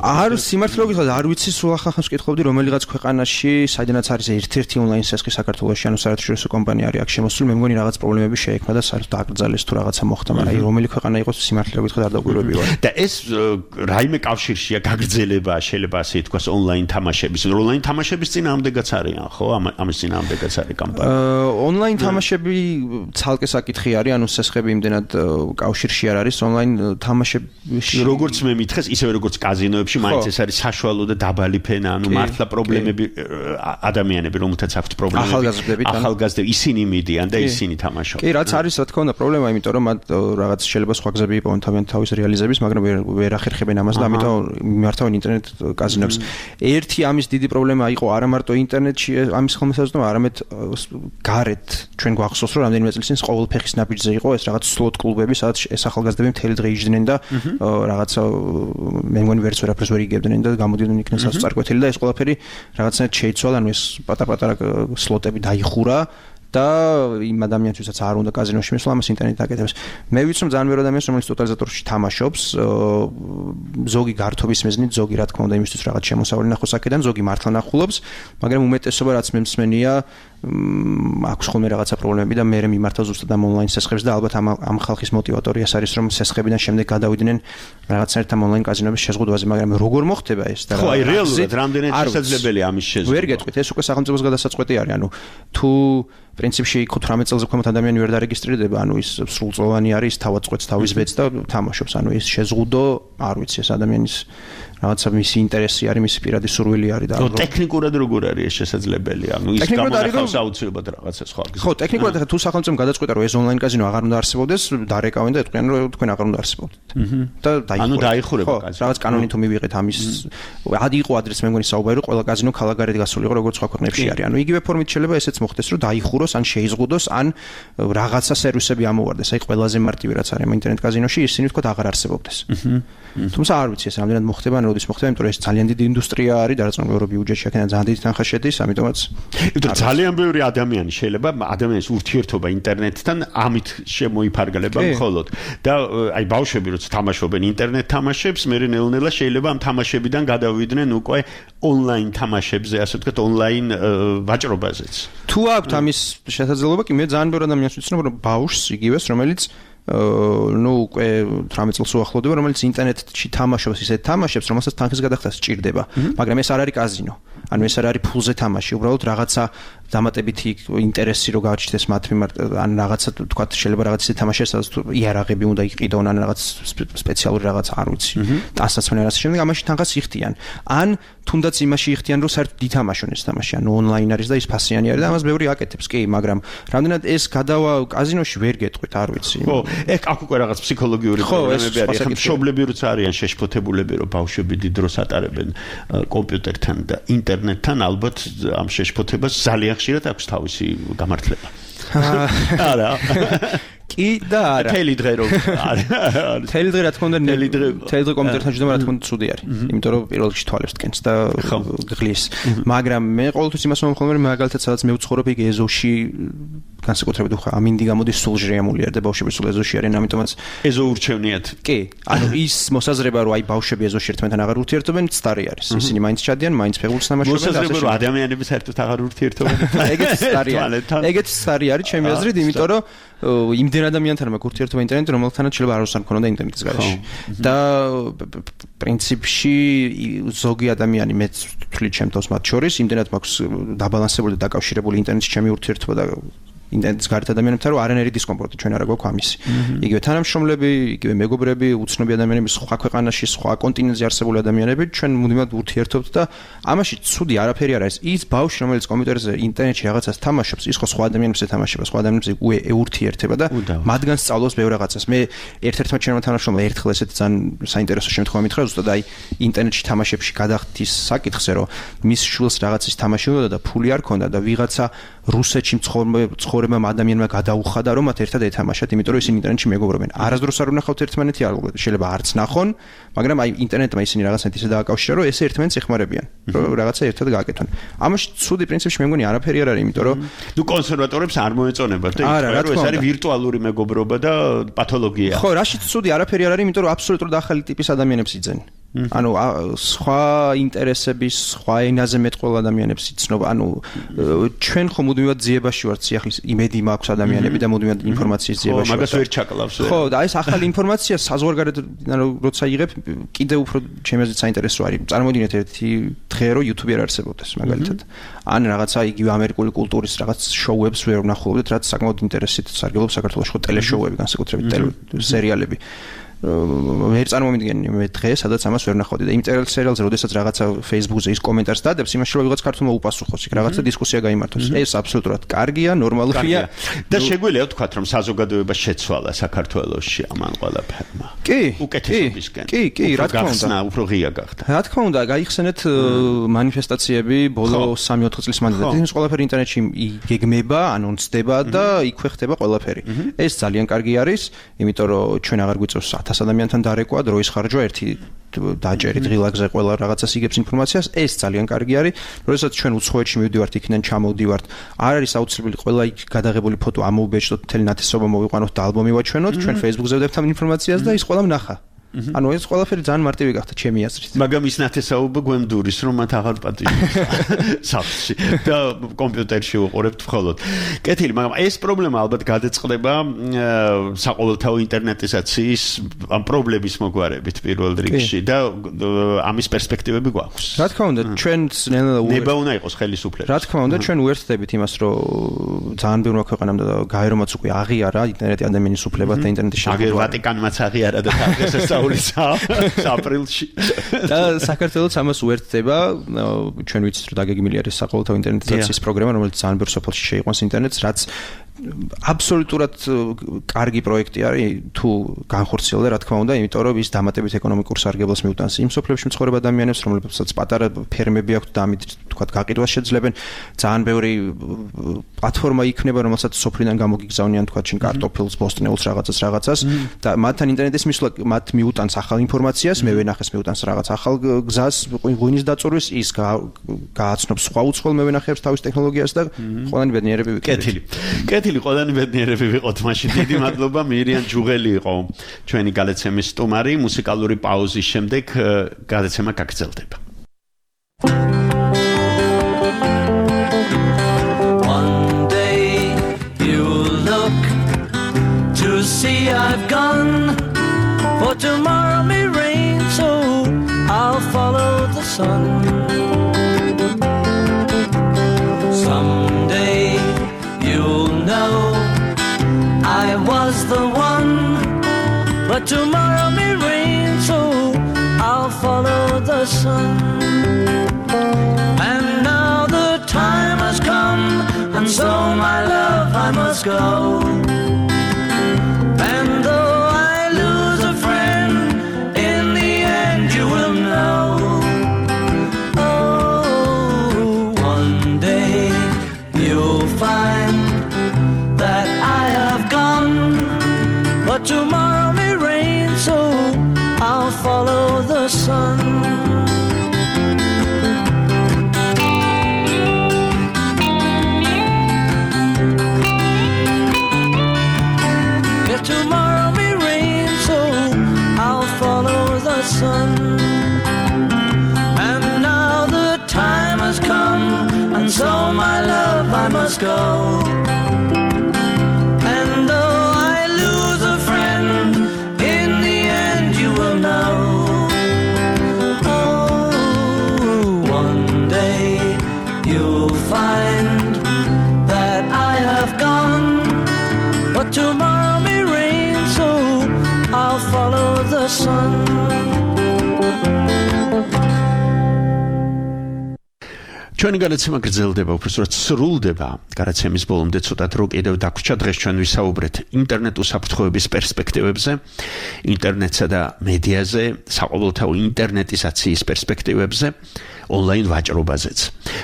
არ სიმართლე გითხრათ, არ ვიცი, სულ ახახანს ვკითხავდი რომელიღაც ქვეყანაში, საიდანაც არის ერთ-ერთი ონლაინ სესხი საქართველოში, ანუ საერთაშორისო კომპანია არის აქ შემოსული, მე მგონი რაღაც პრობლემები შეექმნა და საერთოდ აკრძალეს თუ რაღაცა მოხდა, მაგრამ აი რომელი ქვეყანა იყოს სიმართლე გითხრათ არ დაგვირგვები ვარ. და ეს რაიმე კავშირშია გაგრძელება, შეიძლება ასე ითქვას ონლაინ თამაშების. ონლაინ თამაშების წინააღმდეგაც არიან, ხო? ამის წინააღმდეგაც არის კამპანია. ონლაინ თამაშები ცალკე საკითხი არის, ანუ საკითხები იმდენად კავშირში არ არის ონლაინ თამაშებში. როგორც მე მითხეს, ისევე როგორც კაზინოებში, მაინც ეს არის საშუალო და დაბალი ფენა, ანუ მართლა პრობლემები ადამიანები, რომელთაც აქვთ პრობლემები, ახალგაზრდები, ისინი მიდიან და ისინი თამაშობენ. კი, რაც არის, რა თქმა უნდა, პრობლემა, იმიტომ რომ მათ რაღაც შეიძლება სხვა გზები იპოვონ თავის რეალიზების, მაგრამ ვერ ახერხებენ ამას და ამიტომ მიმართავენ ინტერნეტ კაზინოებს. ერთი ამის დიდი პრობლემა იყო არა მარტო ინტერნეტში ამის ხელმისაწვდომა, არამედ გარეთ ჩვენ გვახსოვს, რომ რამდენიმე წლის წინ ყოველ ფეხის ნაბიჯზე იყო ეს რაღაც სლოტ კლუბები, სადაც ეს ახალგაზრდები მთელი დღე იჯდნენ და რაღაცა მე მგონი ვერც ვერაფერს ვერ იგებდნენ და გამოდიოდნენ იქიდან სასწარკვეთილი და ეს ყველაფერი რაღაცნაირად შეიცვალა, ანუ ეს პატარ-პატარა სლოტები დაიხურა და იმ ადამიანთვისაც არ უნდა კაზინოში მისვლა, ამას ინტერნეტი აკეთებს. მე ვიცი, რომ ძალიან ბევრი ადამიანს, რომელიც ტოტალიზატორში თამაშობს, ზოგი გართობის მიზნით, ზოგი რა თქმა უნდა იმისთვის რაღაც შემოსავალი ნახოს აქედან, ზოგი მართლა ნახულობს, მაგრამ უმეტესობა რაც მე მსმენია, აქვს ხოლმე რაღაცა პრობლემები და მე მიმართავ ზუსტად ამ ონლაინ სესხებს და ალბათ ამ ხალხის მოტივატორი ეს არის, რომ სესხებიდან შემდეგ გადავიდნენ რაღაცნაირად ამ ონლაინ კაზინოების შეზღუდვაზე, მაგრამ როგორ მოხდება ეს და ხო, აი რეალურად რამდენად შესაძლებელია ამის შეზღუდვა. ვერ გეტყვით, ეს უკვე სახელმწიფოს გადასაწყვეტი არის, ანუ თუ პრინციპში 18 წელზე ქვემოთ ადამიანი ვერ დარეგისტრირდება, ანუ ის სრულწლოვანი არის, თავად წყვეტს თავის ბედს და თამაშობს, ანუ ეს შეზღუდო, არ ვიცი, ეს ადამიანის რაღაცა მისი ინტერესი არის, მისი პირადი სურვილი არის და ტექნიკურად როგორ არის ეს შესაძლებელი? ანუ ის გამონახავს აუცილებლად რაღაცა სხვა. ხო, ტექნიკურად თუ სახელმწიფომ გადაწყვეტა, რომ ეს ონლაინ კაზინო აღარ უნდა არსებობდეს, დარეკავენ და ეტყვიან, რომ თქვენ აღარ უნდა არსებობდეთ. და დაიხურა. ანუ დაიხურება კაზინო. რაღაც კანონი თუ მივიღეთ ამის, ადი იყო ადრეს მე მგონი საუბარი, რომ ყველა კაზინო ქალაქგარეთ გასული იყო, როგორც სხვა ქვეყნებში არის. ანუ იგივე ფორმით შეიძლება ესეც მოხდეს, რომ დაიხუროს, ან შეიზღუდოს, ან რაღაცა სერვისები ამოვარდეს. აი ყველაზე მარტივი რაც არის ინტერნეტ კაზინოში, ისინი თქო აღარ არსებობდეს. თუმცა არ ვიცი ეს რამდენად მოხდება, ან როდის მოხდება, იმიტომ რომ ეს ძალიან დიდი ინდუსტრია არის, დარწმუნებული ბიუჯეტში აქედან ძალიან დიდი თანხა შედის, ამიტომაც ძალიან ბევრი ადამიანი შეიძლება ადამიანის ურთიერთობა ინტერნეტთან ამით შემოიფარგლება მხოლოდ და აი ბავშვები როცა თამაშობენ ინტერნეტ თამაშებს, მე ნელ-ნელა შეიძლება ამ თამაშებიდან გადავიდნენ უკვე ონლაინ თამაშებზე, ასე ვთქვათ, ონლაინ ვაჭრობაზეც. თუ აქვთ ამის შესაძლებლობა, კი მე ძალიან ბევრი ადამიანს ვიცნობ, რომ ბავშვს იგივეს, რომელიც ну უკვე 18 წელს უახლოვდება, რომელიც ინტერნეტში თამაშობს, ისე თამაშებს, რომელსაც თანხის გადახდა სჭირდება, მაგრამ ეს არ არის კაზინო. ანუ ეს არ არის ფულზე თამაში, უბრალოდ რაღაცა დამატებითი ინტერესი რო გაჩნდეს მათ მიმართ, ან რაღაცა თქვა შეიძლება რაღაც ისე თამაშია, სადაც იარაღები უნდა იყიდონ, ან რაღაც სპეციალური რაღაც არ ვიცი. ტანსაცმელი რაღაც შემდეგ ამაში თანხას იხდიან. ან თუნდაც იმაში იხდიან, რომ საერთოდ დითამაშონ ეს თამაში, ანუ ონლაინ არის და ის ფასიანი არის და ამას ბევრი აკეთებს, კი, მაგრამ რამდენად ეს გადავა კაზინოში ვერ გეტყვით, არ ვიცი. ხო, აქ უკვე რაღაც ფსიქოლოგიური პრობლემები არის. ხა მშობლები როცა არიან შეშფოთებულები, რომ ბავშვები დიდ დროს ატარებენ კომპიუტერთან და ინტერნეტთან, ალბათ ამ შეშფოთებას ძალიან ხშირად აქვს თავისი გამართლება. არა. კი და არა. თელი დღე რომ არა. თელი დღე რა თქმა უნდა, თელი დღე კომპიუტერთან შეჯდება რა თქმა უნდა ცუდი არის. იმიტომ რომ პირველ რიგში თვალებს დგენს და გღლის. მაგრამ მე ყოველთვის იმას მომხმობ, რომ მაგალითად სადაც მე ვცხოვრობ, იქ ეზოში განსაკუთრებით ხო ამინდი გამოდის სულ ჟრიამული არის და ბავშვები სულ ეზოში არიან, ამიტომაც ეზო ურჩევნიათ. კი, ანუ ის მოსაზრება რომ აი ბავშვები ეზოში ერთმანეთთან აღარ ურთიერთობენ, ცდარი არის. ისინი მაინც ჩადიან, მაინც ფეხბურთს თამაშობენ და მოსაზრება რომ ადამიანები საერთოდ აღარ ურთიერთობენ. ეგეც ცდარი არის. ეგეც ცდარი არის ჩემი აზრით, იმიტომ რომ იმდენ ადამიანთან მაქვს ურთიერთობა ინტერნეტში, რომელთანაც შეიძლება არ უზარ მქონოდა ინტერნეტის გარეშე. და პრინციპში ზოგი ადამიანი მეც ვთვლი ჩემ თავს მათ შორის, იმდენად მაქვს დაბალანსებული და დაკავშირებული ინტერნეტში ჩემი ურთიერთობა და ინტერნეტის გარეთ ადამიანებთან, რომ არანაირი დისკომფორტი ჩვენ არ აქვს ამისი. იგივე თანამშრომლები, იგივე მეგობრები, უცნობი ადამიანები, სხვა ქვეყანაში, სხვა კონტინენტზე არსებული ადამიანები, ჩვენ მუდმივად ურთიერთობთ და ამაში ცუდი არაფერი არ არის. ის ბავშვი, რომელიც კომპიუტერზე ინტერნეტში რაღაცას თამაშობს, ის ხო სხვა ადამიანებს ეთამაშება, სხვა ადამიანებს ეურთიერთება და მათგან სწავლობს ბევრ რაღაცას. მე ერთ-ერთმა ჩემმა თანამშრომელმა ერთხელ ესეთი ძალიან საინტერესო შემთხვევა მითხრა, ზუსტად აი ინტერნეტში თამაშებში გადახდის საკითხზე, რომ მის შვილს რაღაცის თამაში უნდა და ფული არ ქონდა და ვიღაცა რუსეთში ცხოვრებამ ადამიანმა გადაუხადა, რომ მათ ერთად ეთამაშათ, იმიტომ რომ ისინი ინტერნეტში მეგობრობენ. არასდროს არ უნახავთ ერთმანეთი, შეიძლება არც ნახონ, მაგრამ აი ინტერნეტმა ისინი რაღაცნაირად ისე დააკავშირა, რომ ესე ერთმანეთს ეხმარებიან, რომ რაღაცა ერთად გააკეთონ. ამაში ცუდი პრინციპში მე მგონი არაფერი არ არის, იმიტომ რომ ნუ კონსერვატორებს არ მოეწონებათ და ითქვა, რომ ეს არის ვირტუალური მეგობრობა და პათოლოგია. ხო, რაშიც ცუდი არაფერი არ არის, იმიტომ რომ აბსოლუტურად ახალი ტიპის ადამიანებს იძენ. ანუ სხვა ინტერესების, სხვა ენაზე მეტყველა ადამიანებს იცნობა. ანუ ჩვენ ხომ მუდმივად ძიებაში ვართ სიახლის იმედი მაქვს ადამიანები და მუდმივად ინფორმაციის ძიებაში. ხო, მაგას ვერ ჩაკლავს. ხო, და ეს ახალი ინფორმაცია საზღვარგარეთ, ანუ როცა იღებ, კიდევ უფრო ჩემი აზრით საინტერესო არის. წარმოვიდგინეთ ერთი დღე რომ YouTube-ი არ არსებობდეს, მაგალითად. ან რაღაცა იგივე ამერიკული კულტურის რაღაც შოუებს ვერ ვნახულობდეთ, რაც საკმაოდ ინტერესით სარგებლობს საქართველოში ხო ტელეშოუები, განსაკუთრებით ტელესერიალები. მე წარმოვიდგენი მე დღეს სადაც ამას ვერ ვნახავდი და იმ სერიალზე როდესაც რაღაცა Facebook-ზე ის კომენტარს დადებს იმაში რომ ვიღაც ქართულმა უპასუხოს იქ რაღაცა დისკუსია გაიმართოს ეს აბსოლუტურად კარგია ნორმალურია და შეგვიძლია ვთქვათ რომ საზოგადოება შეცვალა საქართველოში ამან ყველაფერმა კი უკეთესობისკენ კი რა თქმა უნდა უფრო ღია გახდა რა თქმა უნდა გაიხსენეთ მანიფესტაციები ბოლო 3-4 წლის მანძილზე ის ყველაფერი ინტერნეტში იგეგმება ანონსდება და იქვე ხდება ყველაფერი ეს ძალიან კარგი არის იმიტომ რომ ჩვენ აღარ გვიწევს ადამიანთან დარეკვა დროის ხარჯვა ერთი დაჭერი დღილაგზე ყველა რაღაცას იგებს ინფორმაციას ეს ძალიან კარგი არის როდესაც ჩვენ უცხოეთში მივდივართ იქიდან ჩამოვდივართ არ არის აუცილებელი ყველა იქ გადაღებული ფოტო ამოუბეჭდოთ მთელი ნათესობა მოვიყვანოთ და ალბომი ვაჩვენოთ ჩვენ Facebook-ზე ვდებთ ამ ინფორმაციას და ის ყველა ვნახა ანუ ეს ყველაფერი ძალიან მარტივი გახდა ჩემი აზრით მაგრამ ის ნათესაობა გვემდურის რომ მათ აღარ პატიჟებს სახლში და კომპიუტერში უყურებთ მხოლოდ კეთილი მაგრამ ეს პრობლემა ალბათ გადაწყდება საყოველთაო ინტერნეტიზაციის ამ პრობლემის მოგვარებით პირველ რიგში და ამის პერსპექტივები გვაქვს რა თქმა უნდა ჩვენც ნება უნდა იყოს ხელისუფლება რა თქმა უნდა ჩვენ უერთდებით იმას რომ ძალიან ბევრმა ქვეყანამ და გაერომაც უკვე აღიარა ინტერნეტი ადამიანის უფლება და ინტერნეტის აღარ ვატიკანმაც აღიარა და დღესაც აპრილში და საქართველოს ამას უერთდება ჩვენ ვიცით რომ დაგეგმილი არის საყოველთაო ინტერნეტიზაციის პროგრამა რომელიც ძალიან ბევრ სოფელში შეიყვანს ინტერნეტს რაც აბსოლუტურად კარგი პროექტი არის თუ განხორციელდა რა თქმა უნდა იმიტომ რომ ის დამატებით ეკონომიკურ სარგებლობას მიუტანს იმ სოფლებში მცხოვრებ ადამიანებს რომლებსაც პატარა ფერმები აქვთ და ამით თქვა გაყიდვას შეძლებენ ძალიან ბევრი პლატფორმა იქნება რომელსაც სოფლიდან გამოგიგზავნიან თქვა ჩინ კარტოფილს ბოსტნეულს რაღაცას და მათთან ინტერნეტის მისვლა მათ მიუტანს ახალ ინფორმაციას მე ვენახეს მიუტანს რაღაც ახალ გზას ღვინის დაწურვის ის გააცნობს სხვა უცხოელ მე ვენახებს თავის ტექნოლოგიას და ყველანი ბედნიერები კეთილი ყველანი ბედნიერები ვიყოთ მაშინ დიდი მადლობა მირიან ჯუღელი იყო ჩვენი გადაცემის სტუმარი მუსიკალური პაუზის შემდეგ გადაცემა გაგრძელდება One day you look to see I've gone for tomorrow may rain so I'll follow the sun Someday you'll know I was the one but tomorrow may rain so I'll follow the sun and now the time has come and so my love I must go and though I lose a friend in the end you will know oh one day you'll find that I have gone but tomorrow may rain so I'll follow the sun yeah tomorrow may rain so I'll follow the sun and now the time has come and so my love I must go find that I have gone but tomorrow may rain so I'll follow the sun ჩვენი გადაცემა გრძელდება უბრალოდ სრულდება გადაცემის ბოლომდე ცოტათ რო კიდევ დაგვრჩა დღეს ჩვენ ვისაუბრეთ ინტერნეტ უსაფრთხოების პერსპექტივებზე ინტერნეტსა და მედიაზე საყოველთაო ინტერნეტიზაციის პერსპექტივებზე ონლაინ ვაჭრობაზეც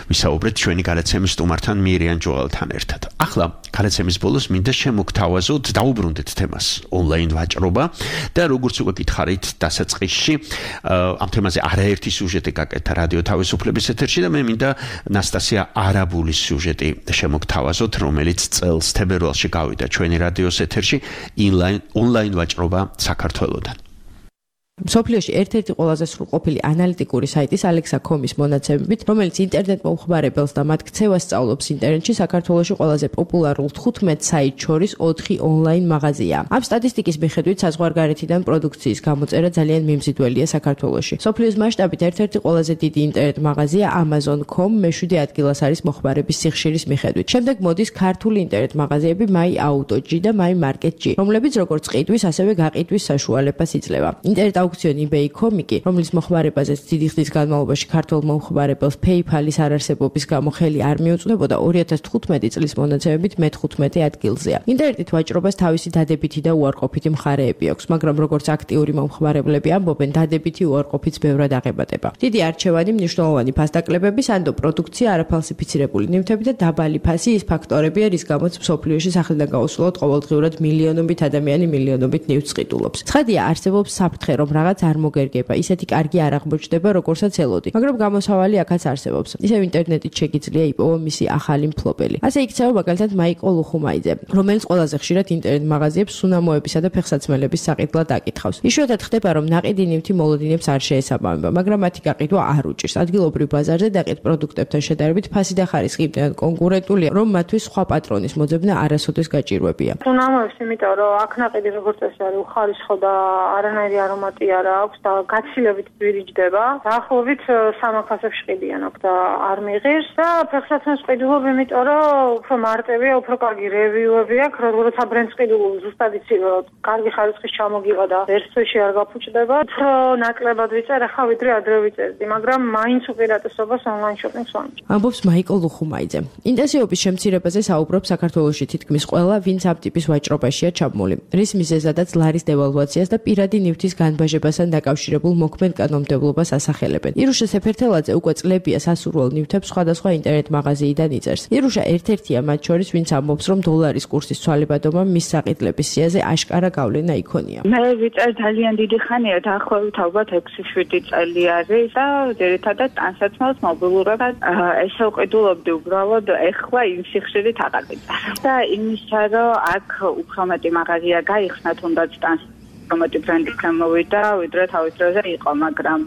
ვისაუბრეთ ჩვენი გადაცემის სტუმართან მირიან ჯუღელთან ერთად ახლა გადაცემის ბოლოს მინდა შემოგთავაზოთ დაუბრუნდეთ თემას ონლაინ ვაჭრობა და როგორც უკვე გითხარით დასაწყისში ამ თემაზე არაერთი სიუჟეტი გაკეთა რადიო თავისუფლების ეთერში და მე მინდა ნასტასია არაბულის სიუჟეტი შემოგთავაზოთ რომელიც წელს თებერვალში გავიდა ჩვენი რადიოს ეთერში ონლაინ ვაჭრობა საქართველოდან მსოფლიოში ერთ-ერთი ყველაზე სრულყოფილი ანალიტიკური საიტის Alexa.com-ის მონაცემებით, რომელიც ინტერნეტ მომხმარებელს და მათ ქცევას სწავლობს ინტერნეტში, საქართველოში ყველაზე პოპულარულ 15 საიტს შორის 4 ონლაინ მაღაზია. ამ სტატისტიკის მიხედვით საზღვარგარეთიდან პროდუქციის გამოწერა ძალიან მიმზიდველია საქართველოში. მსოფლიოს მასშტაბით ერთ-ერთი ყველაზე დიდი ინტერნეტ მაღაზია Amazon.com მე-7 ადგილას არის მოხმარების სიხშირის მიხედვით. შემდეგ მოდის ქართული ინტერნეტ მაღაზიები My Auto.G და My Market.G, რომლებიც როგორც ყიდვის, ასევე გაყიდვის საშუალებას იძლევა. ინტერნეტ აუქციონი eBay.com, რომლის მოხმარებაზეც დიდი ხნის განმავლობაში ქართულ მომხმარებელს PayPal-ის არარსებობის გამო ხელი არ მიუწვდებოდა, 2015 წლის მონაცემებით მე-15 ადგილზეა. ინტერნეტით ვაჭრობას თავისი დადებითი და უარყოფითი მხარეები აქვს, მაგრამ როგორც აქტიური მომხმარებლები ამბობენ, დადებითი უარყოფით ბევრად აღებადება. დიდი არჩევანი, მნიშვნელოვანი ფასდაკლებები, სანდო პროდუქცია, არაფალსიფიცირებული ნივთები და დაბალი ფასი ის ფაქტორებია, რის გამოც მსოფლიოში სახლიდან გაუსვლელად ყოველდღიურად მილიონობით ადამიანი მილიონობით ნივთს ყიდულობს. ცხადია, არსებობს საფრთხე, რომ რაღაც არ მოგერგება, ისეთი კარგი არ აღმოჩნდება, როგორცაც ელოდი. მაგრამ გამოსავალი აქაც არსებობს. ისევ ინტერნეტით შეგიძლია იპოვო მისი ახალი მფლობელი. ასე იქცევა მაგალითად მაიკო ლუხუმაიძე, რომელიც ყველაზე ხშირად ინტერნეტ მაღაზიებს სუნამოებისა და ფეხსაცმელების საყიდლად აკითხავს. იშვიათად ხდება, რომ ნაყიდი ნივთი მოლოდინებს არ შეესაბამება, მაგრამ მათი გაყიდვა არ უჭირს. ადგილობრივ ბაზარზე დაყიდ პროდუქტებთან შედარებით ფასი და ხარისხი იმდენად კონკურენტულია, რომ მათთვის სხვა პატრონის მოძებნა არასოდეს გაჭირვებია. სუნამოებს, იმიტომ რომ აქ ნაყიდი როგორც წესი არის უხარისხო და არანაირი არომატი არ აქვს და გაცილებით ძვირიჯდება. დაახლოებით 3 ფასებში ყიდიან აქ და არ მიიღებს და ფეხსაცმელს ყიდულობ, იმიტომ რომ უფრო მარტივია, უფრო კარგი რევიუები აქვს, როგორც აბრენდს ყიდულობ, ზუსტად იცი რომ კარგი ხარისხის ჩამოგივა და ერთ თვეში არ გაფუჭდება. უფრო ნაკლებად ვიწერ ახლა ვიდრე ადრე ვიწერდი, მაგრამ მაინც უპირატესობას ონლაინ შოპინგს ვამჯობ. ამბობს მაიკო ლუხუმაიძე. ინტენსივობის შემცირებაზე საუბრობს საქართველოში თითქმის ყველა, ვინც ამ ტიპის ვაჭრობაშია ჩაბმული. რის მიზეზადაც ლარის დევალვაციას და პირადი ნივთის განბაჟებასთან დაკავშირებულ მოქმედ კანონმდებლობას ასახელებენ. ირუშა სეფერთელაძე უკვე წლებია სასურველ ნივთებს სხვადასხვა ინტერნეტ მაღაზიიდან იწერს. ირუშა ერთ-ერთია მათ შორის, ვინც ამბობს, რომ დოლარის კურსის ცვალებადობა მის საყიდლების სიაზე აშკარა გავლენა იქონია. მე ვიწერ ძალიან დიდი ხანია, დაახლოებით ალბათ 6-7 წელი არის და ძირითადად ტანსაცმელს მობილურადად ესე ვყიდულობდი უბრალოდ ეხლა იმ სიხშირით აღარ ვიწარ. და იმისა, რომ აქ უფრო მეტი მაღაზია გაიხსნა, თუნდაც ტანსაცმელი ბრენდი გამოვიდა, ვიდრე თავის დროზე იყო, მაგრამ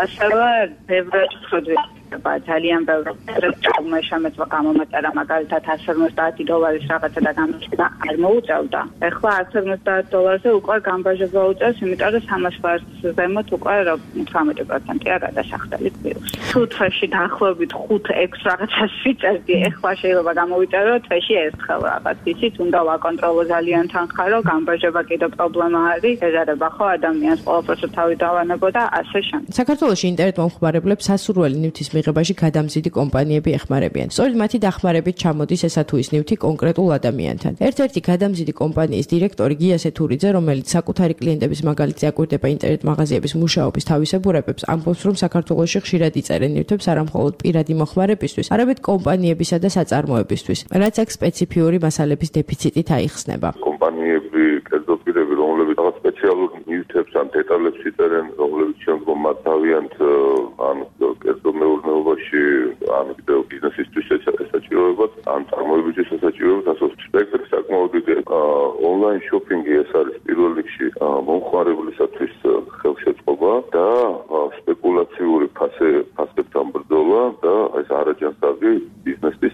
ასევე ბევრად ვხედავ ძალიან ბევრი ტრამვაი შემეწვა გამომეწერა მაგალითად $150 რაღაცა და გამოჩნდა არ მოუწევდა. ეხლა $150 უკვე გამბაჟება უწევს, იმიტომ რომ 300 ბარს ზემოთ უკვე 18%-ია გადასახდელი პლუს. თუ თვეში დაახლოებით 5-6 რაღაცას ვიწერდი, ეხლა შეიძლება გამოვიწერო თვეში ერთხელ რაღაც. ისიც უნდა ვაკონტროლო ძალიან თანხა, რომ გამბაჟება კიდევ პრობლემა არის, ეზარება ხო ადამიანს ყველაფერს თავი დავანებო და ასე შემდეგ. საქართველოში ინტერნეტ მომხმარებლებს სასურველი ნივთის მიღებაში გადამზიდი კომპანიები ეხმარებიან. სწორედ მათი დახმარებით ჩამოდის ესა თუ ის ნივთი კონკრეტულ ადამიანთან. ერთ-ერთი გადამზიდი კომპანიის დირექტორი გია სეთურიძე, რომელიც საკუთარი კლიენტების მაგალითზე აკვირდება ინტერნეტ მაღაზიების მუშაობის თავისებურებებს, ამბობს, რომ საქართველოში ხშირად იწერენ ნივთებს არა მხოლოდ პირადი მოხმარებისთვის, არამედ კომპანიებისა და საწარმოებისთვის, რაც აქ სპეციფიური მასალების დეფიციტით აიხსნება. კომპანიები, კერძოდ პირები, რომლებიც რაღაც სპეციალურ ნივთებს ან დეტალებს იწერენ, რომლებიც შემდგომ მათ თავიანთ ან კერძოდ მეურნეობაში ან კიდევ ბიზნესისთვის ესაჭიროებათ, ან წარმოებისთვის ესაჭიროებათ, ასე სპექტრი საკმაოდ დიდი. ონლაინ შოპინგი ეს არის პირველ რიგში მომხმარებლისათვის ხელშეწყობა და სპეკულაციური ფასებთან ბრძოლა და ეს არაჯანსაღი ბიზნესის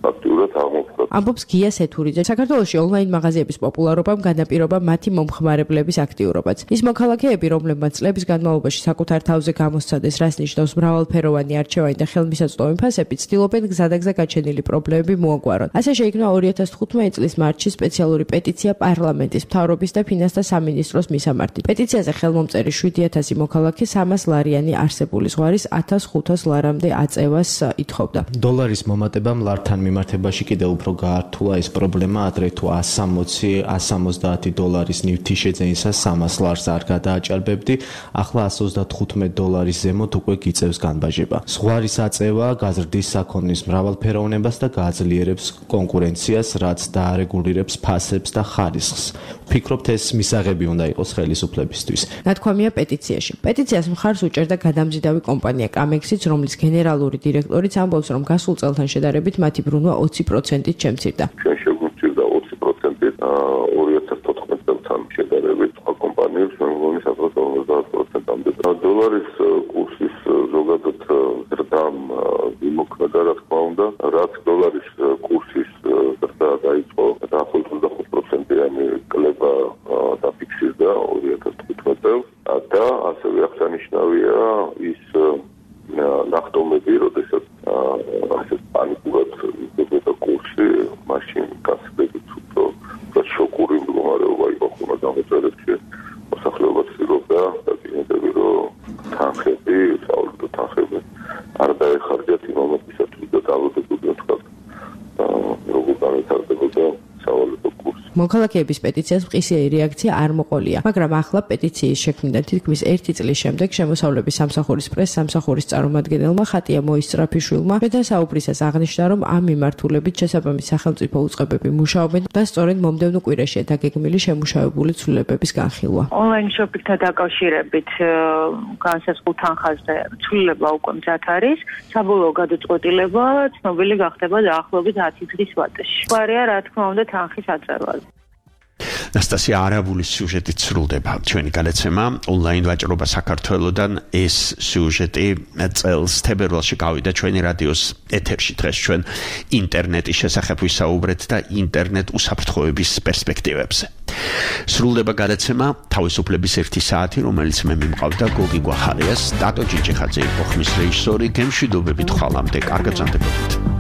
აქტიურად აღმოფხვრა. ამბობს გია სეთურიძე. საქართველოში ონლაინ მაღაზიების პოპულარობამ განაპირობა მათი მომხმარებლების აქტიურობაც. ის მოქალაქეები, რომლებმაც წლების განმავლობაში საკუთარ თავზე გამოსცადეს, რას ნიშნავს მრავალფეროვანი არჩევანი და ხელმისაწვდომი ფასები, ცდილობენ გზადაგზა გაჩენილი პრობლემები მოაგვარონ. ასე შეიქმნა 2015 წლის მარტში სპეციალური პეტიცია პარლამენტის, მთავრობის და ფინანსთა სამინისტროს მისამართი. პეტიციაზე ხელმომწერი 7,000 მოქალაქე 300 ლარიანი არსებული ზღვარის 1,500 ლარამდე აწევას ითხოვდა. დოლარის მომატებამ ლართან მიმართებაში კიდევ უფრო გაართულა ეს პრობლემა, ადრე თუ $160 ნივთი შეძენისას 300 ლარს არ გადააჭარბებდი, ახლა $135 ზემოთ უკვე გიწევს განბაჟება. ზღვარის აწევა გაზრდის საქონლის მრავალფეროვნებას და გააძლიერებს კონკურენციას, რაც დაარეგულირებს ფასებს და ხარისხს. ვფიქრობთ, ეს მისაღები უნდა იყოს ხელისუფლებისთვის. ნათქვამია პეტიციაში. პეტიციას მხარს უჭერდა გადამზიდავი კომპანია კამექსიც, რომლის გენერალური დირექტორიც ამბობს, რომ გასულ წელთან შედარებით მათი ბრუნვა 20%-ით შემცირდა. ჩვენ შეგვიმცირდა 20%-ით 2014 წელთან შედარებით სხვა კომპანიებს, რომლებიც 50% მოქალაქეების პეტიციას მყისიერი რეაქცია არ მოყოლია, მაგრამ ახლა პეტიციის შექმნიდან თითქმის 1 წლის შემდეგ შემოსავლების სამსახურის პრეს-სამსახურის წარმომადგენელმა ხატია მოისწრაფიშვილმა მედასაუბრისას აღნიშნა, რომ ამ მიმართულებით შესაბამის სახელმწიფო უწყებები მუშაობენ და სწორედ მომდევნო კვირაშია დაგეგმილი შემუშავებული ცვლილებების განხილვა. ონლაინ შოპინგთან დაკავშირებით განსაზღვრულ თანხაზე ცვლილება უკვე მზად არის. საბოლოო გადაწყვეტილება ცნობილი გახდება დაახლოებით 10 დღის ვადაში. გვარია რა თქმა უნდა თანხის აწევა. ნასტასია არაბულის სიუჟეტით სრულდება ჩვენი გადაცემა ონლაინ ვაჭრობა საქართველოსთან. ეს სიუჟეტი წელს თებერვალში გავიდა ჩვენი რადიოს ეთერში. დღეს ჩვენ ინტერნეტის შესახებ ვისაუბრეთ და ინტერნეტ უსაფრთხოების პერსპექტივებზე. სრულდება გადაცემა თავისუფლების 1 საათი, რომელიც მე მიმყავდა გოგი გვახარიას, ტატო ჭიჭიხაძე იყო ხმის რეჟისორი. გემშვიდობებით ხვალამდე, კარგად ზამთრობთ.